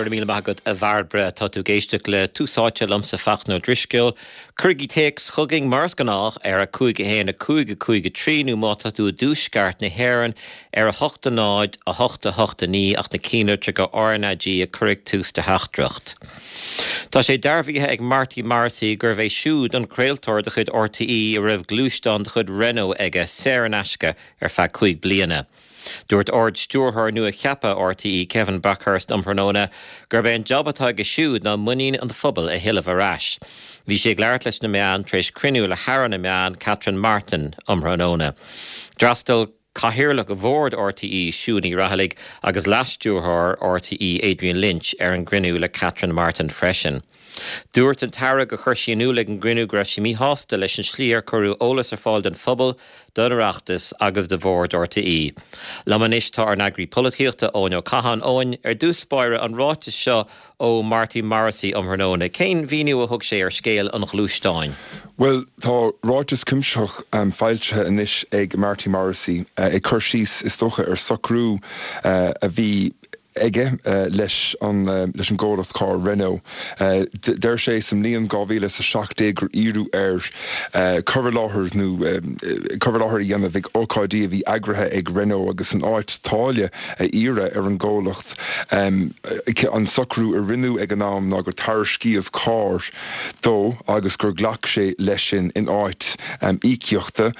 Go raibh míle maith agat a Bhairbre. Tá tú ag éisteacht le Tús Áite liomsa Fachtna Ó Drisceoil. Cuirigí téacs chugainn mar is gnách ar 5 1 5 5 3 nó má tá tú i dtuaisceart na hÉireann ar 8 0 8 8 9 ach na cinnlitreacha RnaG a chur ag tús do theachtaireacht. Tá sé dearbhaithe ag Marty Morrissey gurbh é siúd an craoltóir de chuid RTÉ a raibh gluaisteán de chuid Renault aige saor in aisce ar feadh 5 bliana. Dúirt Ard-Stiúrthóir nua-cheaptha RTÉ, Kevin Bakhurst um thráthnóna gurb é an jab atá aige siúd ná muinín an phobail a thuilleamh ar ais. Bhí sé ag labhairt leis na meáin tar éis cruinniú le hAire na Meán, Catherine Martin, um thráthnóna. D'fhreastail Cathaoirleach Bhord RTÉ, Siún Ní Raghallaigh, agus Leas-Stiúrthóir RTÉ, Adrian Lynch, ar an gcruinniú le Catherine Martin freisin. Dúirt an tAire gur chuir sí in iúl ag an gcruinniú go raibh sí míshásta leis an slí ar cuireadh eolas ar fáil don phobal, don Oireachtas agus do Bhord RTÉ. Liom anois tá ár n-eagraí polaitíochta, Eoin Ó Catháin. Eoin, ar dtús báire, an ráiteas seo ó Marty Morrissey um thráthnóna, cén mhíniú a thug sé ar scéal an ghluaisteáin? Bhuel, tá ráiteas cuimsitheach foilsithe anois ag Marty Morrissey ag cur síos, is dócha, ar socrú a bhí aige leis an leis an gcomhlacht carr Renault. Deir sé sa mbliain 2017 gur iarradh air cur i láthair nó cur i láthair a dhéanamh ag ócáidí a bhí eagraithe ag Renault agus in áit táille a iarraidh ar an gcomhlacht an socrú a rinneadh ag an am ná gur tairiscíodh carr dó agus gur ghlac sé leis sin in áit íocaíochta.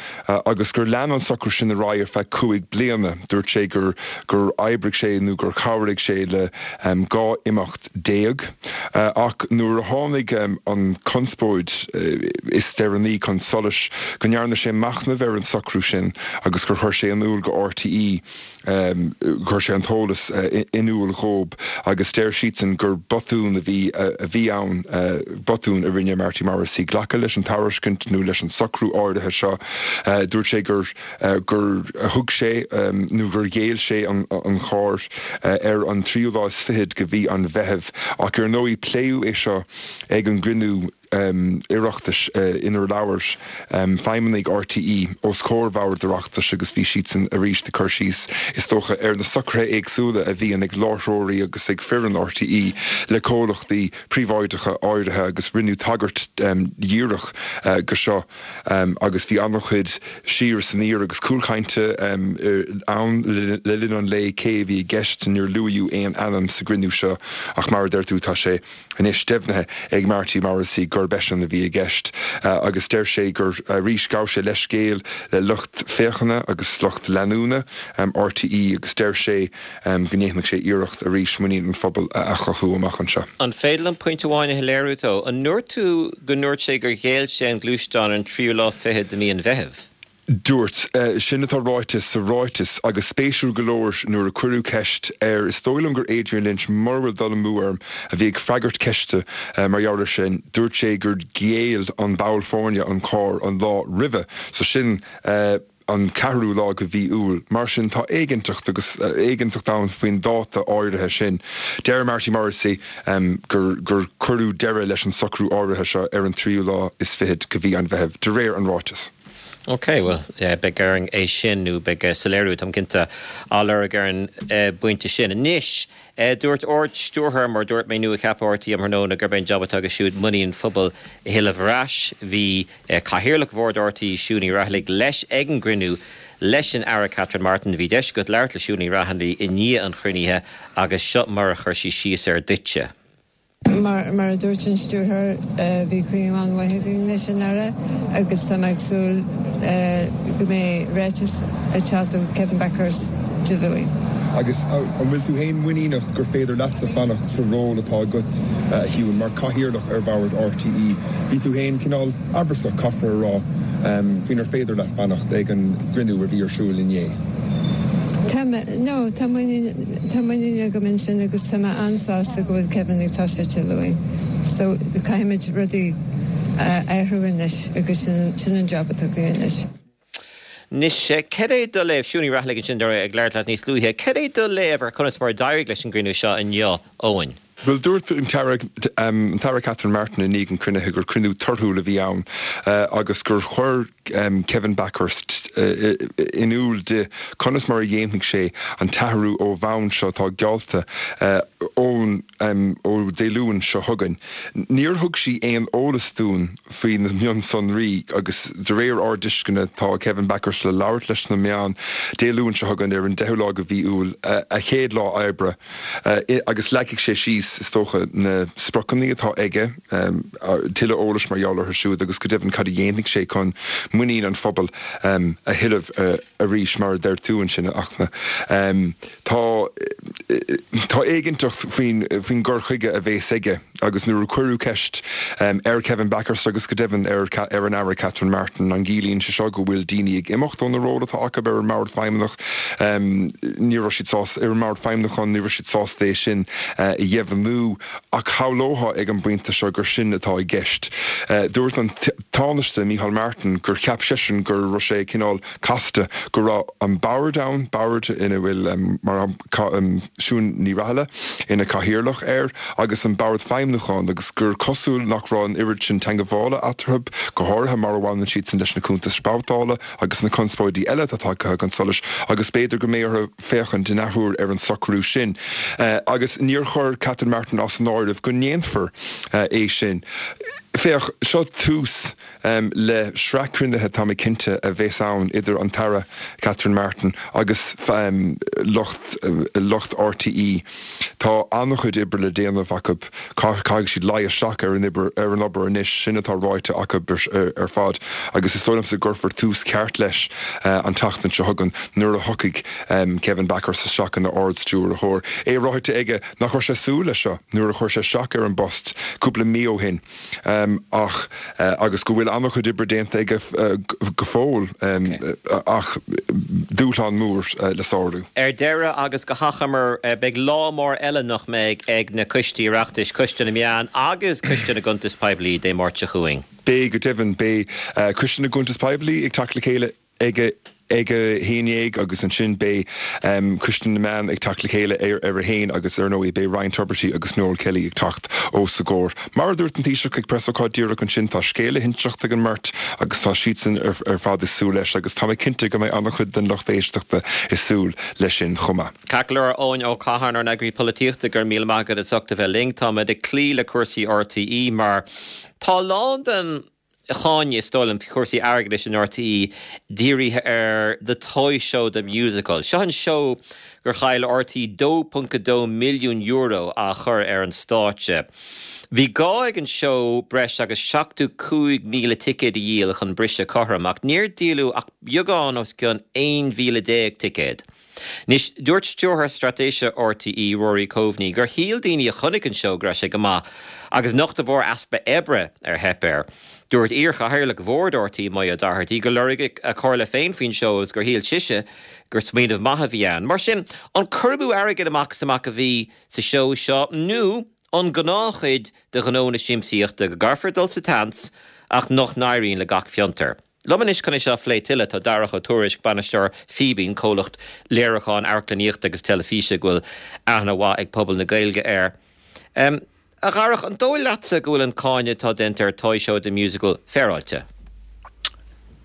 agus gur lean an socrú sin ar aghaidh ar feadh 5 bliana. Dúirt sé gur gur oibrigh sé nó gur chabhraigh sé le 12 imeacht. Ach nuair a tháinig an chonspóid is deireanaí chun solais, go ndearna sé machnamh ar an socrú sin agus gur chuir sé in iúl go RTÉ, Chuir sé an t-eolas in iúl dhóib agus deir siadsan gur botún a bhí a bhí ann, botún a rinne Marty Morrissey glacadh leis an tairiscint nó leis an socrú áirithe seo. Dúirt sé gur gur thug sé nó gur ghéill sé an charr ar an tríú lá is fichead de mhí an Mheithimh ach ar ndóigh pléadh é seo ag an gcruinniú Oireachtais inar labhair feidhmeannaigh RTÉ os comhair Bhord Oireachtais agus bhí siadsan arís ag cur síos, is dócha, ar na socruithe éagsúla a bhíonn ag láithreoirí agus ag foireann RTÉ le comhlachtaí príobháideacha áirithe agus rinneadh tagairt dhíreach go seo agus bhí an-chuid siar is aniar agus cúlchainte ann le linn an lae cé a bhí i gceist. Níor luaíodh aon ainm sa gcruinniú seo ach mar a deir tú tá sé anois deimhnithe ag Marty Morrissey gurb eisean a bhí i gceist agus deir sé gur arís ghabh sé leithscéal le lucht féachana agus lucht leanúna RTÉ agus deir sé go ndéanfaidh sé iarracht arís muinín an phobail a athchothú amach anseo. An féidir liom pointe amháin a shoiléiriú dó? An ndúirt tú go ndúirt sé gur ghéill sé an gluaisteán ar an tríú lá fichead de mhí an Mheithimh? Dúirt. Sin atá ráite sa ráiteas agus spéisiúil go leor nuair a cuireadh ceist air, is dóigh liom gur Adrian Lynch, mura bhfuil dul amú orm, a bhí ag freagairt ceiste mar gheall air sin, dúirt sé gur ghéill an ball foirne an carr an lá roimhe, so sin an ceathrú lá de mhí Iúil. Mar sin tá éiginnteacht agus éiginnteacht ann faoin dáta áirithe sin. Deir Marty Morrissey gur gur cuireadh deireadh leis an socrú áirithe seo ar an tríú lá is fichead de mhí an Mheithimh, de réir an ráitis. Ok, bhuel, beidh orainn é sin, nó beidh soiléiriú, táim cinnte, á lorg ar an bpointe sin. Anois, dúirt Ard-Stiúrthóir, mar a dúirt mé, nua-cheaptha RTÉ um thráthnóna gurb é an jab atá aige siúd muinín an phobail a thuilleamh ar ais. Bhí Cathaoirleach Bhord RTÉ, Siún Ní Raghallaigh, leis ag an gcruinniú leis an Aire Catherine Martin. Bhí deis agat labhairt le Siún Ní Raghallaigh i ndiaidh an chruinnithe agus seo mar a chuir sí síos air duitse. Mar a dúirt an Stiúrthóir, bhí cruinniú an-mhaith againn leis an Aire agus tá mé ag súil go mbeidh ráiteas ag teacht ó Kevin Bakhurst Dé Luain. Agus an bhfuil tú féin muiníneach gur féidir leatsa fanacht sa ról atá agat, a Shiún, mar Chathaoirleach ar Bhord RTÉ? Bhí tú féin cineál amhrasach, caithfear a rá, faoinar féidir leat fanacht ag an gcruinniú a bhí ar siúl inné. Tá, no, tá muinín, tá muinín agam ansin agus tá mé an-sásta go bhfuil Kevin ag toiseacht Dé Luain. So, caithfimid rudaí a athrú anois agus sin, sin an job atá againn anois. Anois, cad é do léamh, Siún Ní Raghallaigh ansin ag labhairt leat níos luaithe, cad é do léamh ar conas mar a d'éirigh leis an gcruinniú seo inniu, Eoin? Bhuel, dúirt an tAire, an tAire Catherine Martin i ndiaidh an chruinnithe gur cruinniú torthúil a bhí ann agus gur chuir. Kevin Bakhurst in iúl di conas mar a dhéanfaidh sé an t-athrú ó bhonn seo atá geallta ón ó Dé Luain seo chugainn. Níor thug sí aon eolas dúinn faoi na mionsonraí agus de réir ár dtuisceana tá Kevin Bakhurst le labhairt leis na meáin Dé Luain seo chugainn ar an 10ú lá de mhí Iúil, a chéad lá oibre, agus leagfaidh sé síos, is dócha, na spriocanna atá aige. Tuilleadh eolais mar gheall orthu siúd agus go deimhin cad a dhéanfaidh sé chun muinín an phobail a thuilleamh arís, mar a deir tú ansin, a Fhachtna. Tá tá éiginnteacht faoin faoin gcur chuige a bhéas aige agus nuair a cuireadh ceist ar Kevin Bakhurst agus go deimhin ar ar an Aire Catherine Martin an gciallaíonn sé seo go bhfuil daoine ag imeacht ó na róil atá acu ar an mBord Feidhmeannach, ní raibh siad sásta ar an mBord Feidhmiúcháin, ní raibh siad sásta é sin a dheimhniú. Ach shamhlófá ag an bpointe seo gur sin atá i gceist. Dúirt an Tánaiste Micheál Martin gur cheap seisean go raibh sé cineál casta go raibh an bord ann, bord ina bhfuil mar Siún Ní Raghallaigh ina cathaoirleach air, agus an bord feidhmiúcháin agus gur cosúil nach raibh an oiread sin teangabhála eatarthu, go háirithe mar a bhaineann siadsan leis na cuntais babhtála agus na conspóidí eile atá tagtha chun solais agus b'fhéidir go mbeidh orthu féachaint in athuair ar an socrú sin agus níor chuir Catherine Martin as an áireamh go ndéanfar é sin. Féach, seo tús le sraith cruinnithe, tá mé cinnte, a bheas ann idir an tAire Catherine Martin agus lucht lucht RTÉ. Tá an-chuid oibre le déanamh acu. Caithfidh siad luí isteach ar an obair ar an obair anois, sin atá ráite acu ar fad agus is dóigh liomsa go gcuirfear tús ceart leis an tseachtain seo chugainn nuair a thiocfaidh Kevin Bakhurst isteach ina Ard-Stiúrthóir. É ráite aige nach raibh sé ag súil leis seo nuair a chuir sé isteach ar an bpost cúpla mí ó shin ach agus go bhfuil an-chuid oibre déanta aige go fóill ach dúshlán mór le sárú. Ar deireadh agus go hachomair, beidh lá mór eile, nach mbeidh, ag na coistí Oireachtais, Coiste na Meán agus Coiste na gCuntas Poiblí, Dé Máirt seo chugainn. Beidh, go deimhin. Beidh Coiste na gCuntas Poiblí ag teacht le chéile ag a ag a haon dhéag agus ansin beidh Coiste na Meán ag teacht le chéile ar ar a haon agus ar ndóigh beidh Ryan Tubridy agus Noel Kelly ag teacht os a gcomhair. Mar a dúirt an Taoiseach ag preasócáid díreach ansin tá scéal le hinseacht ag an mbeirt agus tá siadsan ar ar fad ag súil leis agus tá mé cinnte go mbeidh an-chuid den lucht éisteachta ag súil leis sin chomh maith. Ceart go leor, Eoin Ó Catháin, ár n-eagraí polaitíochta, go raibh míle maith agat as ucht a bheith linn. Táimid ag cloí le cúrsaí RTÉ mar tá a lán den cháineadh, is dóigh liom, faoi chúrsaí airgeadais in RTÉ dírithe ar The Toy Show The Musical. Seo an seó gur chaill RTÉ €2.2 milliún á chur ar an stáitse. Bhí gá ag an seó breis agus 75,000 ticéad a dhíol chun briseadh cothrom, ach níor díoladh ach beagán os cionn 11,000 ticéad. Anois, dúirt Stiúrthóir Straitéise RTÉ, Rory Coveney, gur shíl daoine a chonaic an seó go raibh sé go maith agus nach de bharr easpa oibre ar theip air. Dúirt iar-chathaoirleach bhord RTÉ, Moya Doherty, gur lorg a comhairle féin faoin seó agus gur shíl sise gur smaoineamh maith a bhí ann. Mar sin, an cur amú airgid amach is amach a bhí sa seó seo nó an gnáthchuid de ghnó na siamsaíochta go gcaithfear dul sa tseans ach nach n-éiríonn le gach fiontar? Liom anois chun é seo a phlé tuilleadh tá Darach Ó Tuairisg, bainisteoir Fíbín, comhlacht léiriúcháin amharclannaíochta agus teilifíse go bhfuil aithne mhaith ag pobal na Gaeilge air. A Dharach, an dóigh leatsa go bhfuil an cáineadh atá déanta ar Toy Show The Musical féaráilte?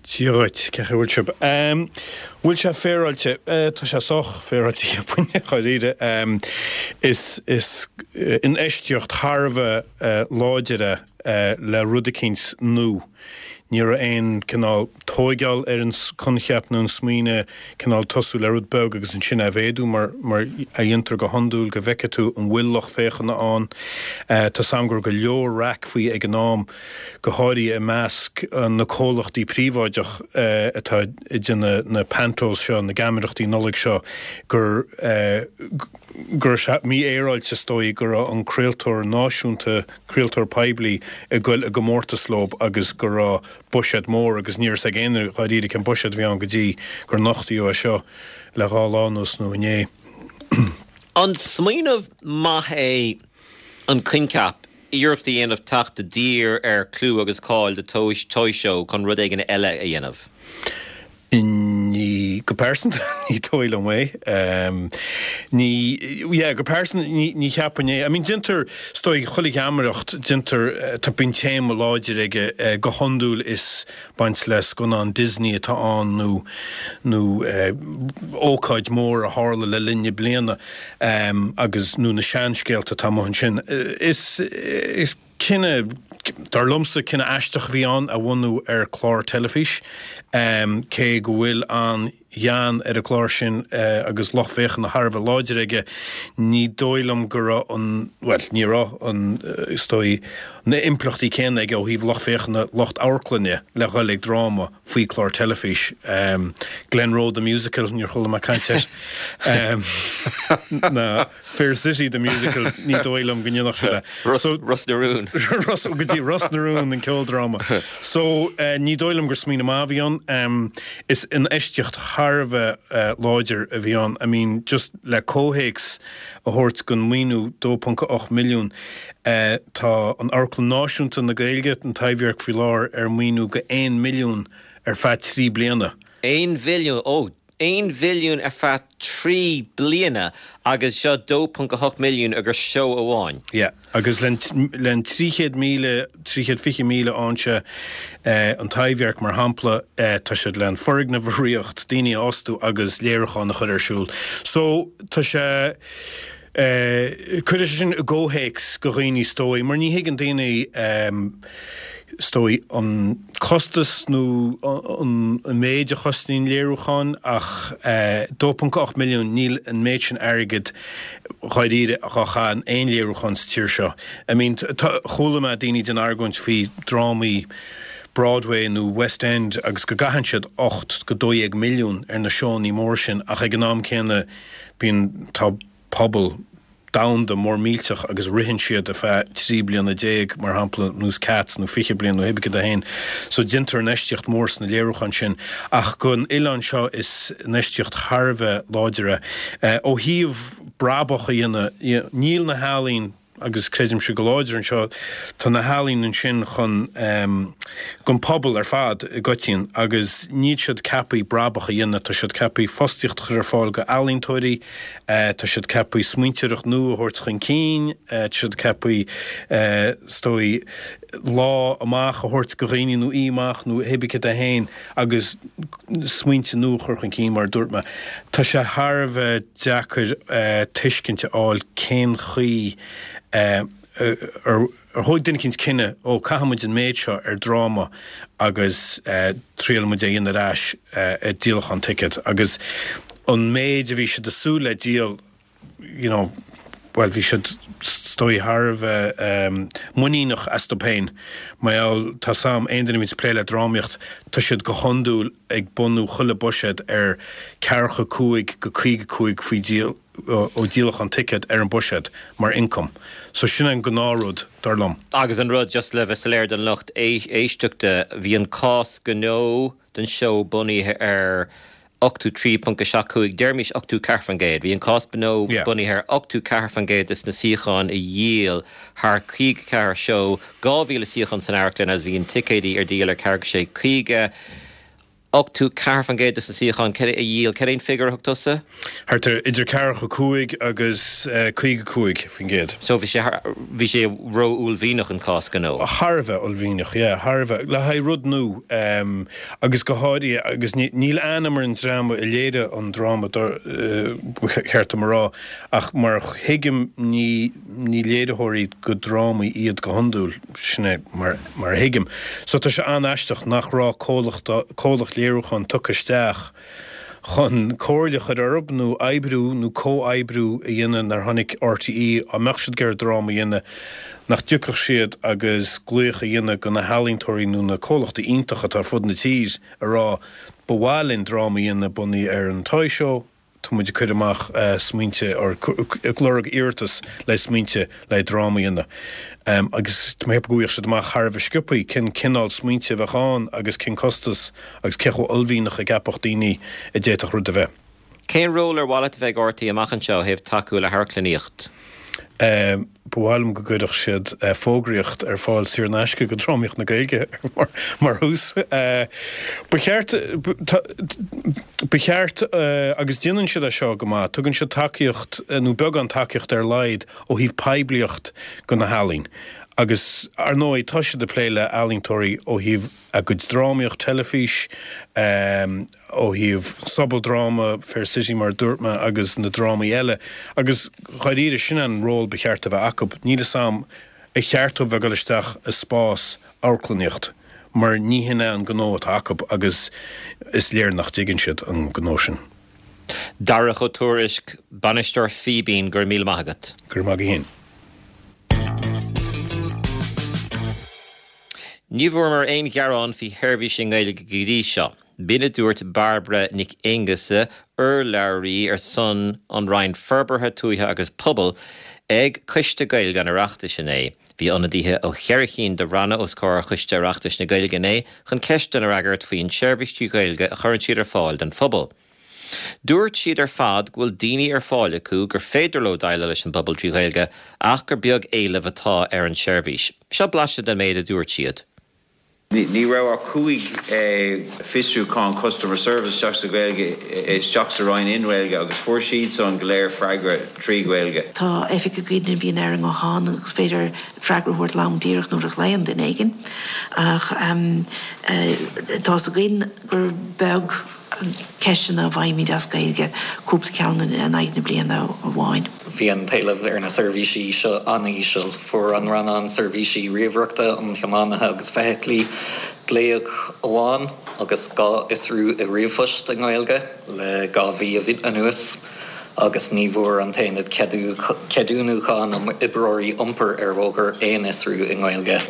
Dia dhuit, cén chaoi a bhfuil sibh? Bhfuil sé féaráilte? Tá sé sách féaráilte cheapfainn, dháiríre. Is is infheistíocht thar a bheith láidir é le rud eicínt nua. Ní raibh aon cineál tóigeáil ar an coincheap nó an smaoineamh, cineál tosú le rud beag agus ansin é a mhéadú mar mar a dhéantar go hiondúil go bhfeicfidh tú an bhfuil lucht féachana ann. Tá's a'm go raibh go leor raic faoi ag an am, go háirithe i measc na comhlachtaí príobháideach atá ag déanamh na pantos seo, na geamaireachtaí Nollag seo, gur go raibh sé mífhéaráilte is dóigh go raibh an craoltóir náisiúnta, craoltóir poiblí ag goil i gcomórtas leo agus go raibh buiséad mór agus ní raibh 's ag éinne dháiríre cén buiséad a bhí ann go dtí gur nochtaíodh é seo le dhá lá anuas nó inné. An smaoineamh maith é an coincheap iarracht a dhéanamh teacht i dtír ar chlú agus cáil The Toy Show chun rud éigin eile a dhéanamh? Ní. Ní, go pearsanta, ní dóigh liom é. Ní, yeah, go pearsanta, ní, ní cheapfainn é. I mean, déantar, is dóigh, chuile gheamaireacht, déantar, tá, bíonn téama láidir aige, go hiondúil is baint le scannán Disney atá ann nó, nó ócáid mhór a tharla le linn na bliana, agus, nó na seanscéalta atá amuigh ansin. Is, is. Cinneadh, dar liomsa, cinneadh aisteach a bhí ann a bhunú ar chlár teilifís, cé go bhfuil an-ghean ar an gclár sin agus lucht féachana thar a bheith láidir aige, ní dóigh liom go raibh an, bhuel, ní raibh an, is dóigh, na impleachtaí céanna aige ó thaobh lucht féachana, lucht amharclainne le dhul ag dráma faoi chlár teilifís. Glenroe the Musical, níor chuala mé caint air. Ná. Fair City the Musical, ní dóigh liom go ndéanfadh siad é. So, Ros na Rún. Ros, go dtí Ros na Rún, an ceoldráma. So, ní dóigh liom gur smaoineamh maith a bhí ann. Is infheistíocht thar a bheith láidir a bhí ann. I mean, just le comhthéacs a thabhairt don maoiniú 2.8 milliún, tá an Amharclann Náisiúnta na Gaeilge, an Taibhdhearc faoi láthair ar maoiniú go 1 milliún ar feadh 3 bliana. 1 mhilliún, ó! 1 mhilliún ar feadh 3 bliana agus seo 2.8 milliún agus seó amháin. Yeah, agus len 300,000, 320,000 ann sé, an Taibhdhearc mar shampla, tá siad le an foirgneamh a ríocht, daoine a fhostú agus léiriúchán a chur ar siúl. So, tá sé, cuirfidh sé sin i gcomhthéacs go dhaoine is dóigh, mar ní thuigeann daoine, is dóigh, an costas nó an méid a chosnaíonn léiriúchán ach 2.8 milliún, níl an méid sin airgid dháiríre dhá chaitheamh in aon léiriúchán sa tír seo. I mean, tá, chuala mé daoine ag déanamh argóint faoi drámaí Broadway nó West End agus go gcaitheann siad 8 go 12 milliún ar na seónnaí mór sin ach ag an am céanna bíonn, tá pobal domhanda mór millteach agus ritheann siad ar feadh 13 bliana, mar shampla, nós Cats, nó 20 bliain nó hé bith cad é féin. So déantar infheistíocht mhór sna léiriúcháin sin. Ach don oileán seo is infheistíocht thar a bheith láidir é. Ó thaobh brabach a dhéanamh, níl na healaín, agus creidimse go láidir anseo, tá na healaín ansin chun don pobal ar fad i gcoitinn agus níl siad ceaptha brabach a dhéanamh, tá siad ceaptha fostaíocht a chur ar fáil go ealaíontóirí, tá siad ceaptha smaointeoireacht nua a thabhairt chun cinn, tá siad ceaptha is dóigh lá amach a thabhairt go dhaoine nó oíche amach nó hé bith cad é féin agus smaointe nua a chur chun cinn mar a dúirt mé. Tá sé thar a bheith deacair tuiscint a fháil cén chaoi ar thóg duine eicínt cinneadh, ó caithfidh muid an méid seo ar dráma agus triailfidh muid é a dhéanamh ar ais i díolachán ticéad agus an méid a bhí siad ag súil le díol you know, bhuel, bhí siad, is dóigh, thar a bheith muiníneach astu féin. Mar gheall, tá 's a'm, aon duine a bhíonns ag plé le drámaíocht, tá siad go hiondúil ag bunú chuile buiséad ar ceathracha 5 go 55 faoi díol, ó díolachán ticéad ar an buiséad mar income. So sin an gnáthrud, dar liom. Agus an rud, just le bheith soiléir don lucht éisteachta, bhí an cás gnó don seó bunaithe ar 83.75, deirimis 84%. Bhí an cás gnó bunaithe ar 84% de na suíocháin a dhíol thar 54 seó, 2,000 suíochán san amharclann agus bhí an ticéidí ar díol ar 4 6 50. 84% de na suíocháin a dhíol. Cad é an figiúr a thug tusa? Thart ar idir 45 agus 55%. So bhí sé bhí sé ró-uaillmhianach an cás gnó. Thar a bheith uaillmhianach, yeah, thar a bheith. Le haghaidh rud nua. Agus go háirithe, agus níl ainm ar an dream a léirigh an dráma, ba cheart dom a rá, ach mar a thuigim ní ní léiritheoirí go drámaí iad go hiondúil, sin é mar mar a thuigim. So tá sé an-aisteach nach raibh comhlacht comhlacht léiriúcháin tugtha isteach chun comhairle a chur orthu nó oibriú nó comhoibriú a dhéanamh nuair a tháinig RTÉ, dá mbeadh siad ag iarraidh dráma a dhéanamh, nach dtiocfadh siad agus glaoch a dhéanamh go na healaíontóirí nó na comhlachtaí iontacha atá ar fud na tír a rá ba mhaith linn dráma a dhéanamh bunaithe ar an Toy Show, tá muid ag cur amach smaointe or ag lorg iarratas le smaointe le dráma a dhéanamh. Agus tá mé ag ceapadh go bhfaigheadh siad amach thar a bheith sciobthaí cén cineál smaointe a bheadh ann agus cén costas agus cé chomh uaillmhianach a gceapfadh daoine a d'fhéadfadh rud a bheith. Cén ról ar mhaith leat a bheith ag RTÉ amach anseo ó thaobh tacú le hamharclannaíocht? Ba mhaith liom go gcuirfeadh siad fógraíocht ar fáil saor in aisce go drámaíocht na Gaeilge mar thús. Ba cheart, ba cheart, agus déanann siad é seo go maith, tugann siad tacaíocht, nó beagán tacaíochta ar a laghad, ó thaobh poiblíocht go na healaíon. Agus, ar ndóigh, tá siad ag plé le ealaíontóirí ó thaobh a gcuid drámaíocht, teilifís, ó thaobh sobaldráma, Fair City mar a dúirt mé agus na drámaí eile. Agus dháiríre, sin an ról ba cheart a bheith acu. Níl 'fhios a'm ar cheart dóibh bheith ag dul isteach i spás amharclannaíocht mar ní hin é an gnó atá acu agus is léir nach dtuigeann siad an gnó sin. Darach Ó Tuairisg, Bainisteoir Fíbín, go raibh míle maith agat. Go raibh maith agat féin. Ní bhfuaireamar aon ghearán faoi sheirbhís i nGaeilge go dtí seo. B'in a dúirt Bairbre Nic Aonghusa, urlabhraí ar son an Roinn Forbartha Tuaithe agus Pobail ag Coiste Gaeilge an Oireachtais inné. Bhí ionadaithe ó cheithre chinn de ranna os comhair Choiste Oireachtais na Gaeilge inné chun ceisteanna a fhreagairt faoin tseirbhís trí Ghaeilge a chuireann siad ar fáil don phobal. Dúirt siad ar fad go bhfuil daoine ar fáil acu gur féidir leo déileáil leis an bpobal trí Ghaeilge ach gur beag éileamh atá ar an tseirbhís. Seo blaiseadh den méid a dúirt siad. Ní raibh ach 5 fiosrúchán customer service isteach sa Ghaeilge, isteach sa Roinn i nGaeilge agus fuair siadsan go léir freagra trí Ghaeilge. Tá oifigeach againn a bhíonn ar an nguthán agus is féidir freagra a thabhairt lom díreach nuair a ghlaonn duine éigin ach tá's againn gur beag ceisteanna a bhfaighimid as Gaeilge, cúpla ceann in aghaidh na bliana amháin. Bhí an t-éileamh ar na seirbhísí seo an-íseal. Fuair an Rannán Seirbhísí Ríomhaireachta um Thiománaithe agus Feithiclí glaoch amháin agus 2 fhiosrú i ríomhphost i nGaeilge le 2 mhí anuas agus ní bhfuair an tAonad Ceadúnúcháin um Oibreoirí Iompair ar Bhóthar aon fhiosrú i nGaeilge.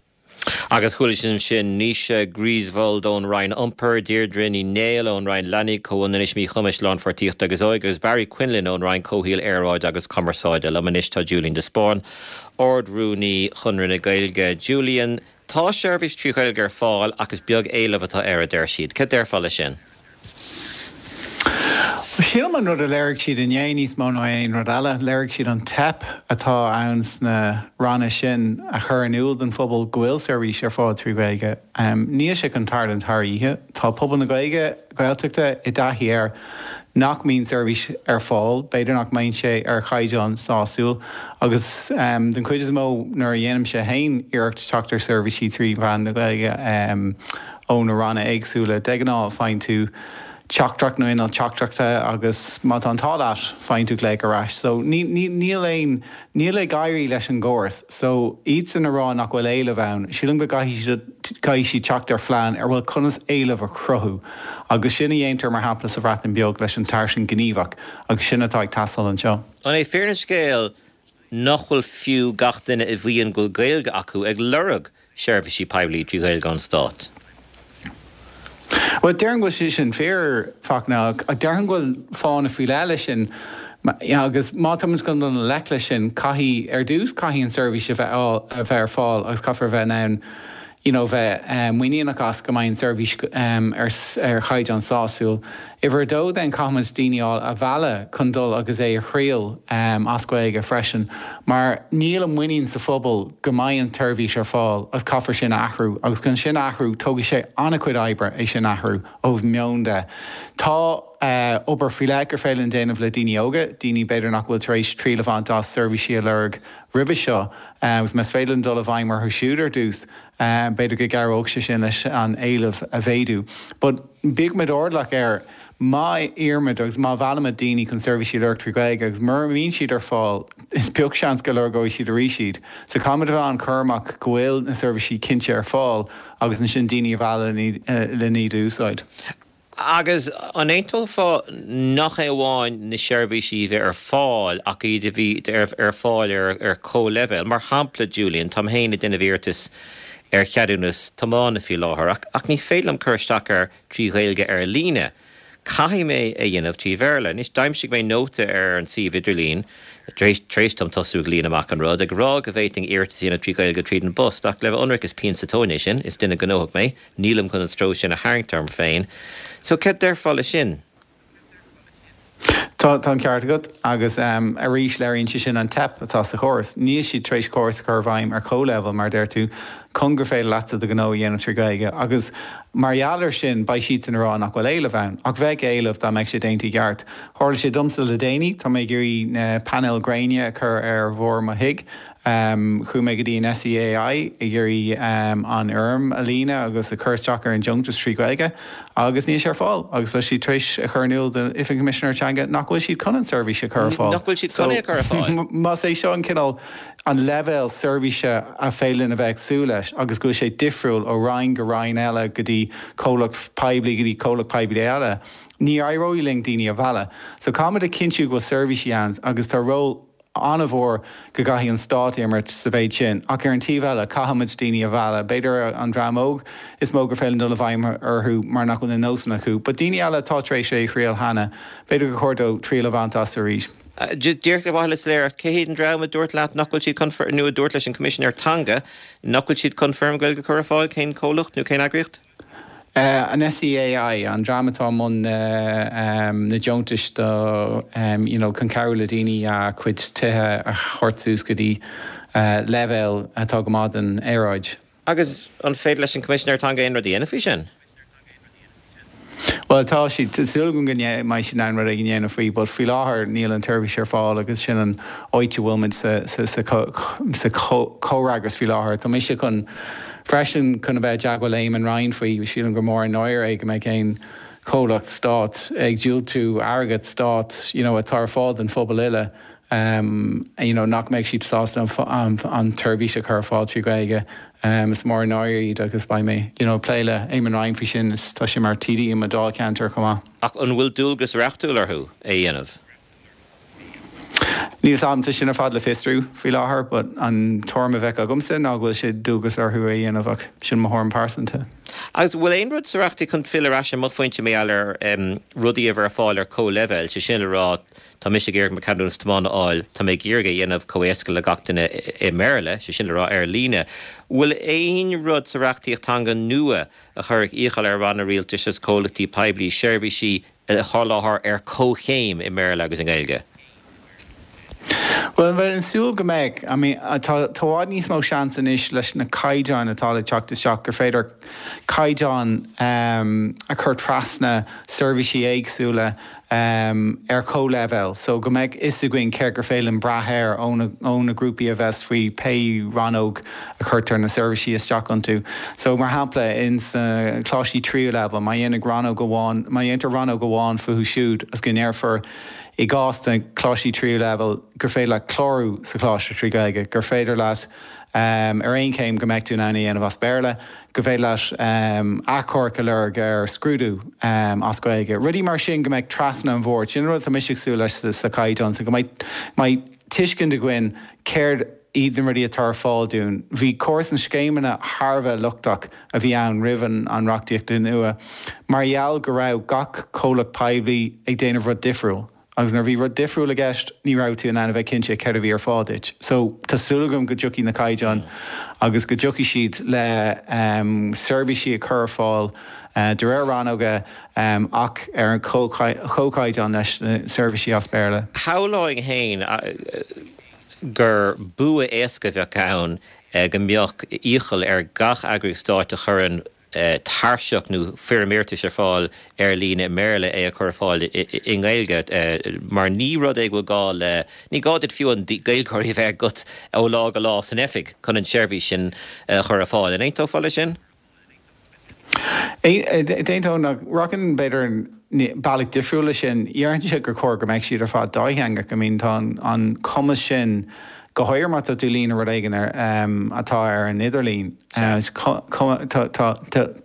Agus chuala sibh ansin Naoise Griswold ón Roinn Iompair, Deirdre Ní Néill ón Roinn Leanaí, Comhionannais, Míchumais, Lánpháirtíochta agus Óige agus Barry Quinlan ón Roinn Comhshaoil, Aeráide agus Cumarsáide. Liom anois tá Julian de Spáinn, Ard-Rúnaí Chonradh na Gaeilge. Julian, tá seirbhís trí Ghaeilge ar fáil ach is beag éileamh atá air, a deir siad. Cad déarfá leis sin? Sílim an rud a léirigh siad inné níos mó ná aon rud eile, léirigh siad an teip atá ann sna ranna sin a chur in iúl don phobal go bhfuil seirbhís ar fáil trí Ghaeilge. Níl sé chun tarlúint thar oíche. Tá pobal na Gaeilge, Gaeltachta i dtaithí air nach mbíonn seirbhís ar fáil, b'fhéidir nach mbíonn sé ar chaighdeán sásúil agus den chuid is mó nuair a dhéanaimse féin iarracht teacht ar seirbhísí trí mheán na Gaeilge, ó na ranna éagsúla. De ghnáth, faigheann tú teachtaireacht nó inneall teachtaireachta agus má tá an t-ádh leat, faigheann tú glaoch ar ais. So, níl aon, níl ag éirí leis an gcóras. So, iadsan a rá nach bhfuil éileamh ann, sílim go gcaithfidh siad, caithfidh siad teacht ar phlean ar bhuel conas éileamh a chruthú. Agus sin a dhéantar, mar shampla, sa Bhreatain Bheag leis an tairiscint ghníomhach agus sin atá ag teastáil anseo. An é fírinne an scéil nach bhfuil fiú gach duine a mhaíonn go bhfuil Gaeilge acu ag lorg seirbhísí poiblí trí Ghaeilge ón Stát. Bhuel, déarfainn go bhfuil sé sin fíor, Fachtna, ach déarfainn go bhfuil fáthanna faoi leith leis sin. Agus má tá muid chun dul i ngleic leis sin, caithfidh, ar dtús, caithfidh an tseirbhís a bheith a bheith ar fáil agus caithfear a bheith in ann you know bheith muiníneach as go mbeidh an tseirbhís ar chaighdeán sásúil. Uimhir a dó then caithfimid daoine a mhealladh chun dul agus é a thriail as Gaeilge freisin mar níl an muinín sa phobal go mbeidh an tseirbhís ar fáil agus caithfear sin a athrú agus chun sin a athrú tógfaidh sé an-chuid oibre é sin a athrú ó thaobh meoin de. Tá obair faoi leith gur féidir linn déanamh le daoine óga, daoine b'fhéidir nach bhfuil tar éis triail a bhaint as seirbhísí a lorg roimhe seo agus más féidir linn dul i bhfeidhm orthu siúd ar dtús b'fhéidir go gcabhródh sé sin leis an éileamh a mhéadú. But bíodh muid airdeallach air, má iarraimid agus má mheallaimid daoine chun seirbhísí a lorg trí Ghaeilge agus mura mbíonn siad ar fáil, is beag seans go lorgóidh siad arís iad. So caithfimid a bheith an-chúramach go bhfuil na seirbhísí cinnte ar fáil agus ansin daoine a mhealladh len iad a úsáid. Agus an aontófá nach é amháin na seirbhísí a bheith ar fáil ach iad a bheith ar fáil ar comhleibhéal? Mar shampla, Julian, táim féin ag déanamh iarratais ar cheadúnas tiomána faoi láthair ach ach ní féidir liom cur isteach air trí Ghaeilge ar líne. Caithfidh mé é a dhéanamh trí Bhéarla. Anois, d'aimsigh mé nóta ar an suíomh idirlín, tar éis dom tosú ag líonadh amach an rud, ag rá go bhféadfainn iarratas a dhéanamh trí Ghaeilge tríd an bpost ach le bheith ionraic is pian sa tóin é sin, is duine gnóthach mé. Nílim chun an stró sin a tharraingt orm féin. So, céard déarfá le sin? Tá. Tá, tá an ceart agat agus arís léiríonn sé sin an teip atá sa chóras. Níl siad tar éis córas a chur i bhfeidhm ar comhleibhéal, mar a deir tú, chun gur féidir leatsa do ghnó a dhéanamh trí Ghaeilge agus mar gheall air sin beidh siadsan ag rá nach bhfuil éileamh ann. Ach bheadh éileamh dá mbeadh sé déanta i gceart. Tharla sé domsa le déanaí, tá mé ag iarraidh na painéil gréine a chur ar bharr mo thigh. Chuaigh mé go dtí an SEAI ag iarraidh an fhoirm a líonadh agus a chur isteach ar an deontas trí Ghaeilge agus níl sé ar fáil agus tá siad tar éis a chur in iúl d'Oifig an Choimisinéara Teanga nach bhfuil siad chun an tseirbhís a chur ar fáil. Nach bhfuil siad chun é a chur ar fáil. Más é seo an cineál, an leibhéal seirbhíse a féidir linn a bheith ag súil leis agus go bhfuil sé difriúil ó roinn go roinn eile go dtí comhlacht poiblí go dtí comhlacht poiblí eile, ní éireoidh linn daoine a mhealladh. So caithfimid a chinntiú go bhfuil seirbhísí ann agus tá ról an-mhór go gcaithfidh an stát imirt sa mhéid sin. Ach ar an taobh eile, caithfimid daoine a mhealladh. B'fhéidir an dream óg is mó gur féidir linn dul i bhfeidhm orthu mar nach bhfuil na nósanna acu. But daoine eile atá tar éis é a thriail cheana, b'fhéidir gur chóir dóibh triail a bhaint as arís. Díreach ar mhaithe le soiléireacht, cé hiad an dream a dúirt leat nach bhfuil siad chun, nó a dúirt leis an Choimisinéir Teanga nach bhfuil siad chun foirm Ghaeilge a chur ar fáil? Cén comhlacht nó cén eagraíocht? An SEAI, an dream atá i mbun na deontais do you know chun cabhrú le daoine a gcuid tithe a thabhairt suas go dtí leibhéal atá go maith don aeráid. Agus an féidir leis an Coimisinéir Teanga aon rud a dhéanamh faoi sin? Bhuel tá siad, tá súil agam go mbeidh siad in ann rud éigin a dhéanamh faoi but faoi láthair níl an tseirbhís ar fáil agus sin an áit a bhfuil muid sa sa sa chomhfhreagras faoi láthair. Tá mise chun Freisin, chun a bheith i dteagmháil le Eamon Ryan faoi, sílim gur mór an náire é go mbeadh aon chomhlacht stáit ag diúltú airgead stáit you know atá ar fáil don phobal uile you know nach mbeadh siad sásta an an tseirbhís a chur ar fáil trí Ghaeilge. Is mór an náire iad agus beidh mé you know ag plé le Eamon Ryan faoi sin is tá sé mar TD i mo dháilcheantar chomh maith. Ach an bhfuil dualgas reachtúil orthu é a dhéanamh? Níl 's a'm, tá sin ar fad le fiosrú faoi láthair but an tuairim a bheadh agamsa ná go bhfuil sé dualgas orthu é a dhéanamh ach sin mo thuairim pearsanta. Agus an bhfuil aon rud sa reachtaíocht chun filleadh ar ais ar mo phointe mar gheall ar rudaí a bheith ar fáil ar comhleibhéal, sé sin le rá tá mise ag iarraidh mo cheadúnas tiomána a fháil, tá mé ag iarraidh é a dhéanamh chomh éasca le gach duine i mBéarla, sé sin le rá ar líne. Bhfuil aon rud sa reachtaíocht teanga nua a chuirfeadh iachall ar ranna rialtais agus comhlachtaí poiblí seirbhísí a sholáthar ar comhchéim i mBéarla agus i nGaeilge? Bhuel, bheinn ag súil go mbeadh. I mean, tá i bhfad níos mó seans anois leis na caighdeáin atá le teacht isteach gur féidir caighdeáin a chur trasna seirbhísí éagsúla ar chomhleibhéal so go mbeadh fhios againn céard gur féidir linn brath air ó na grúpaí a bheas faoi pé rannóg a chuirtear na seirbhísí isteach iontu. So, mar shampla, in sna coláistí tríú leibhéal, má dhéanfaidh rannóg amháin, má dhéantar rannóg amháin fúthu siúd agus go ndéarfar i gcás na coláistí tríú leibhéal gur féidir leat clárú sa choláiste trí Ghaeilge, gur féidir leat ar aon chéim go mbeidh tú in ann é a dhéanamh as Béarla, go féidir leat achomharc a lorg ar scrúdú as Gaeilge. Rudaí mar sin go mbeidh trasna an bhoird. Sin an rud atá mise ag súil leis sa chaighdeán so go mbeidh tuiscint againn céard iad na rudaí atá ar fáil dúinn. Bhí córas na scéimeanna thar a bheith lochtach a bhí ann roimh an reachtaíocht nua mar gheall go raibh gach comhlacht poiblí ag déanamh rud difriúil agus nuair a bhí rud difriúil i gceist ní raibh tú in ann a bheith cinnte céard a bhí ar fáil duit. So tá súil agam go dtiocfaidh na caighdeáin agus go dtiocfaidh siad le seirbhísí a chur ar fáil de réir rannóga ach ar an chomhchaighdeán leis na seirbhísí as Béarla. Shamhlóinn féin gur bua éasca a bheadh ann go mbeadh iachall ar gach eagraíocht stáit a chuireann tairseach nó foirm iarratais ar fáil ar líne i mBéarla é a chur ar fáil i nGaeilge mar ní rud é go bhfuil gá le, ní gá duit fiú an Gaeilgeoirí a bheith agat ó lá go lá san oifig chun an tseirbhís sin a chur ar fáil. An aontófá leis sin? D'aontóinn ach rachainn b'fhéidir bealach difriúil leis sin. Déarfainnse gur chóir go mbeadh siad ar fad dátheangach. I mean tá an cumas sin, go háirithe má tá tú ag líonadh rud éigin atá ar an idirlíon, tá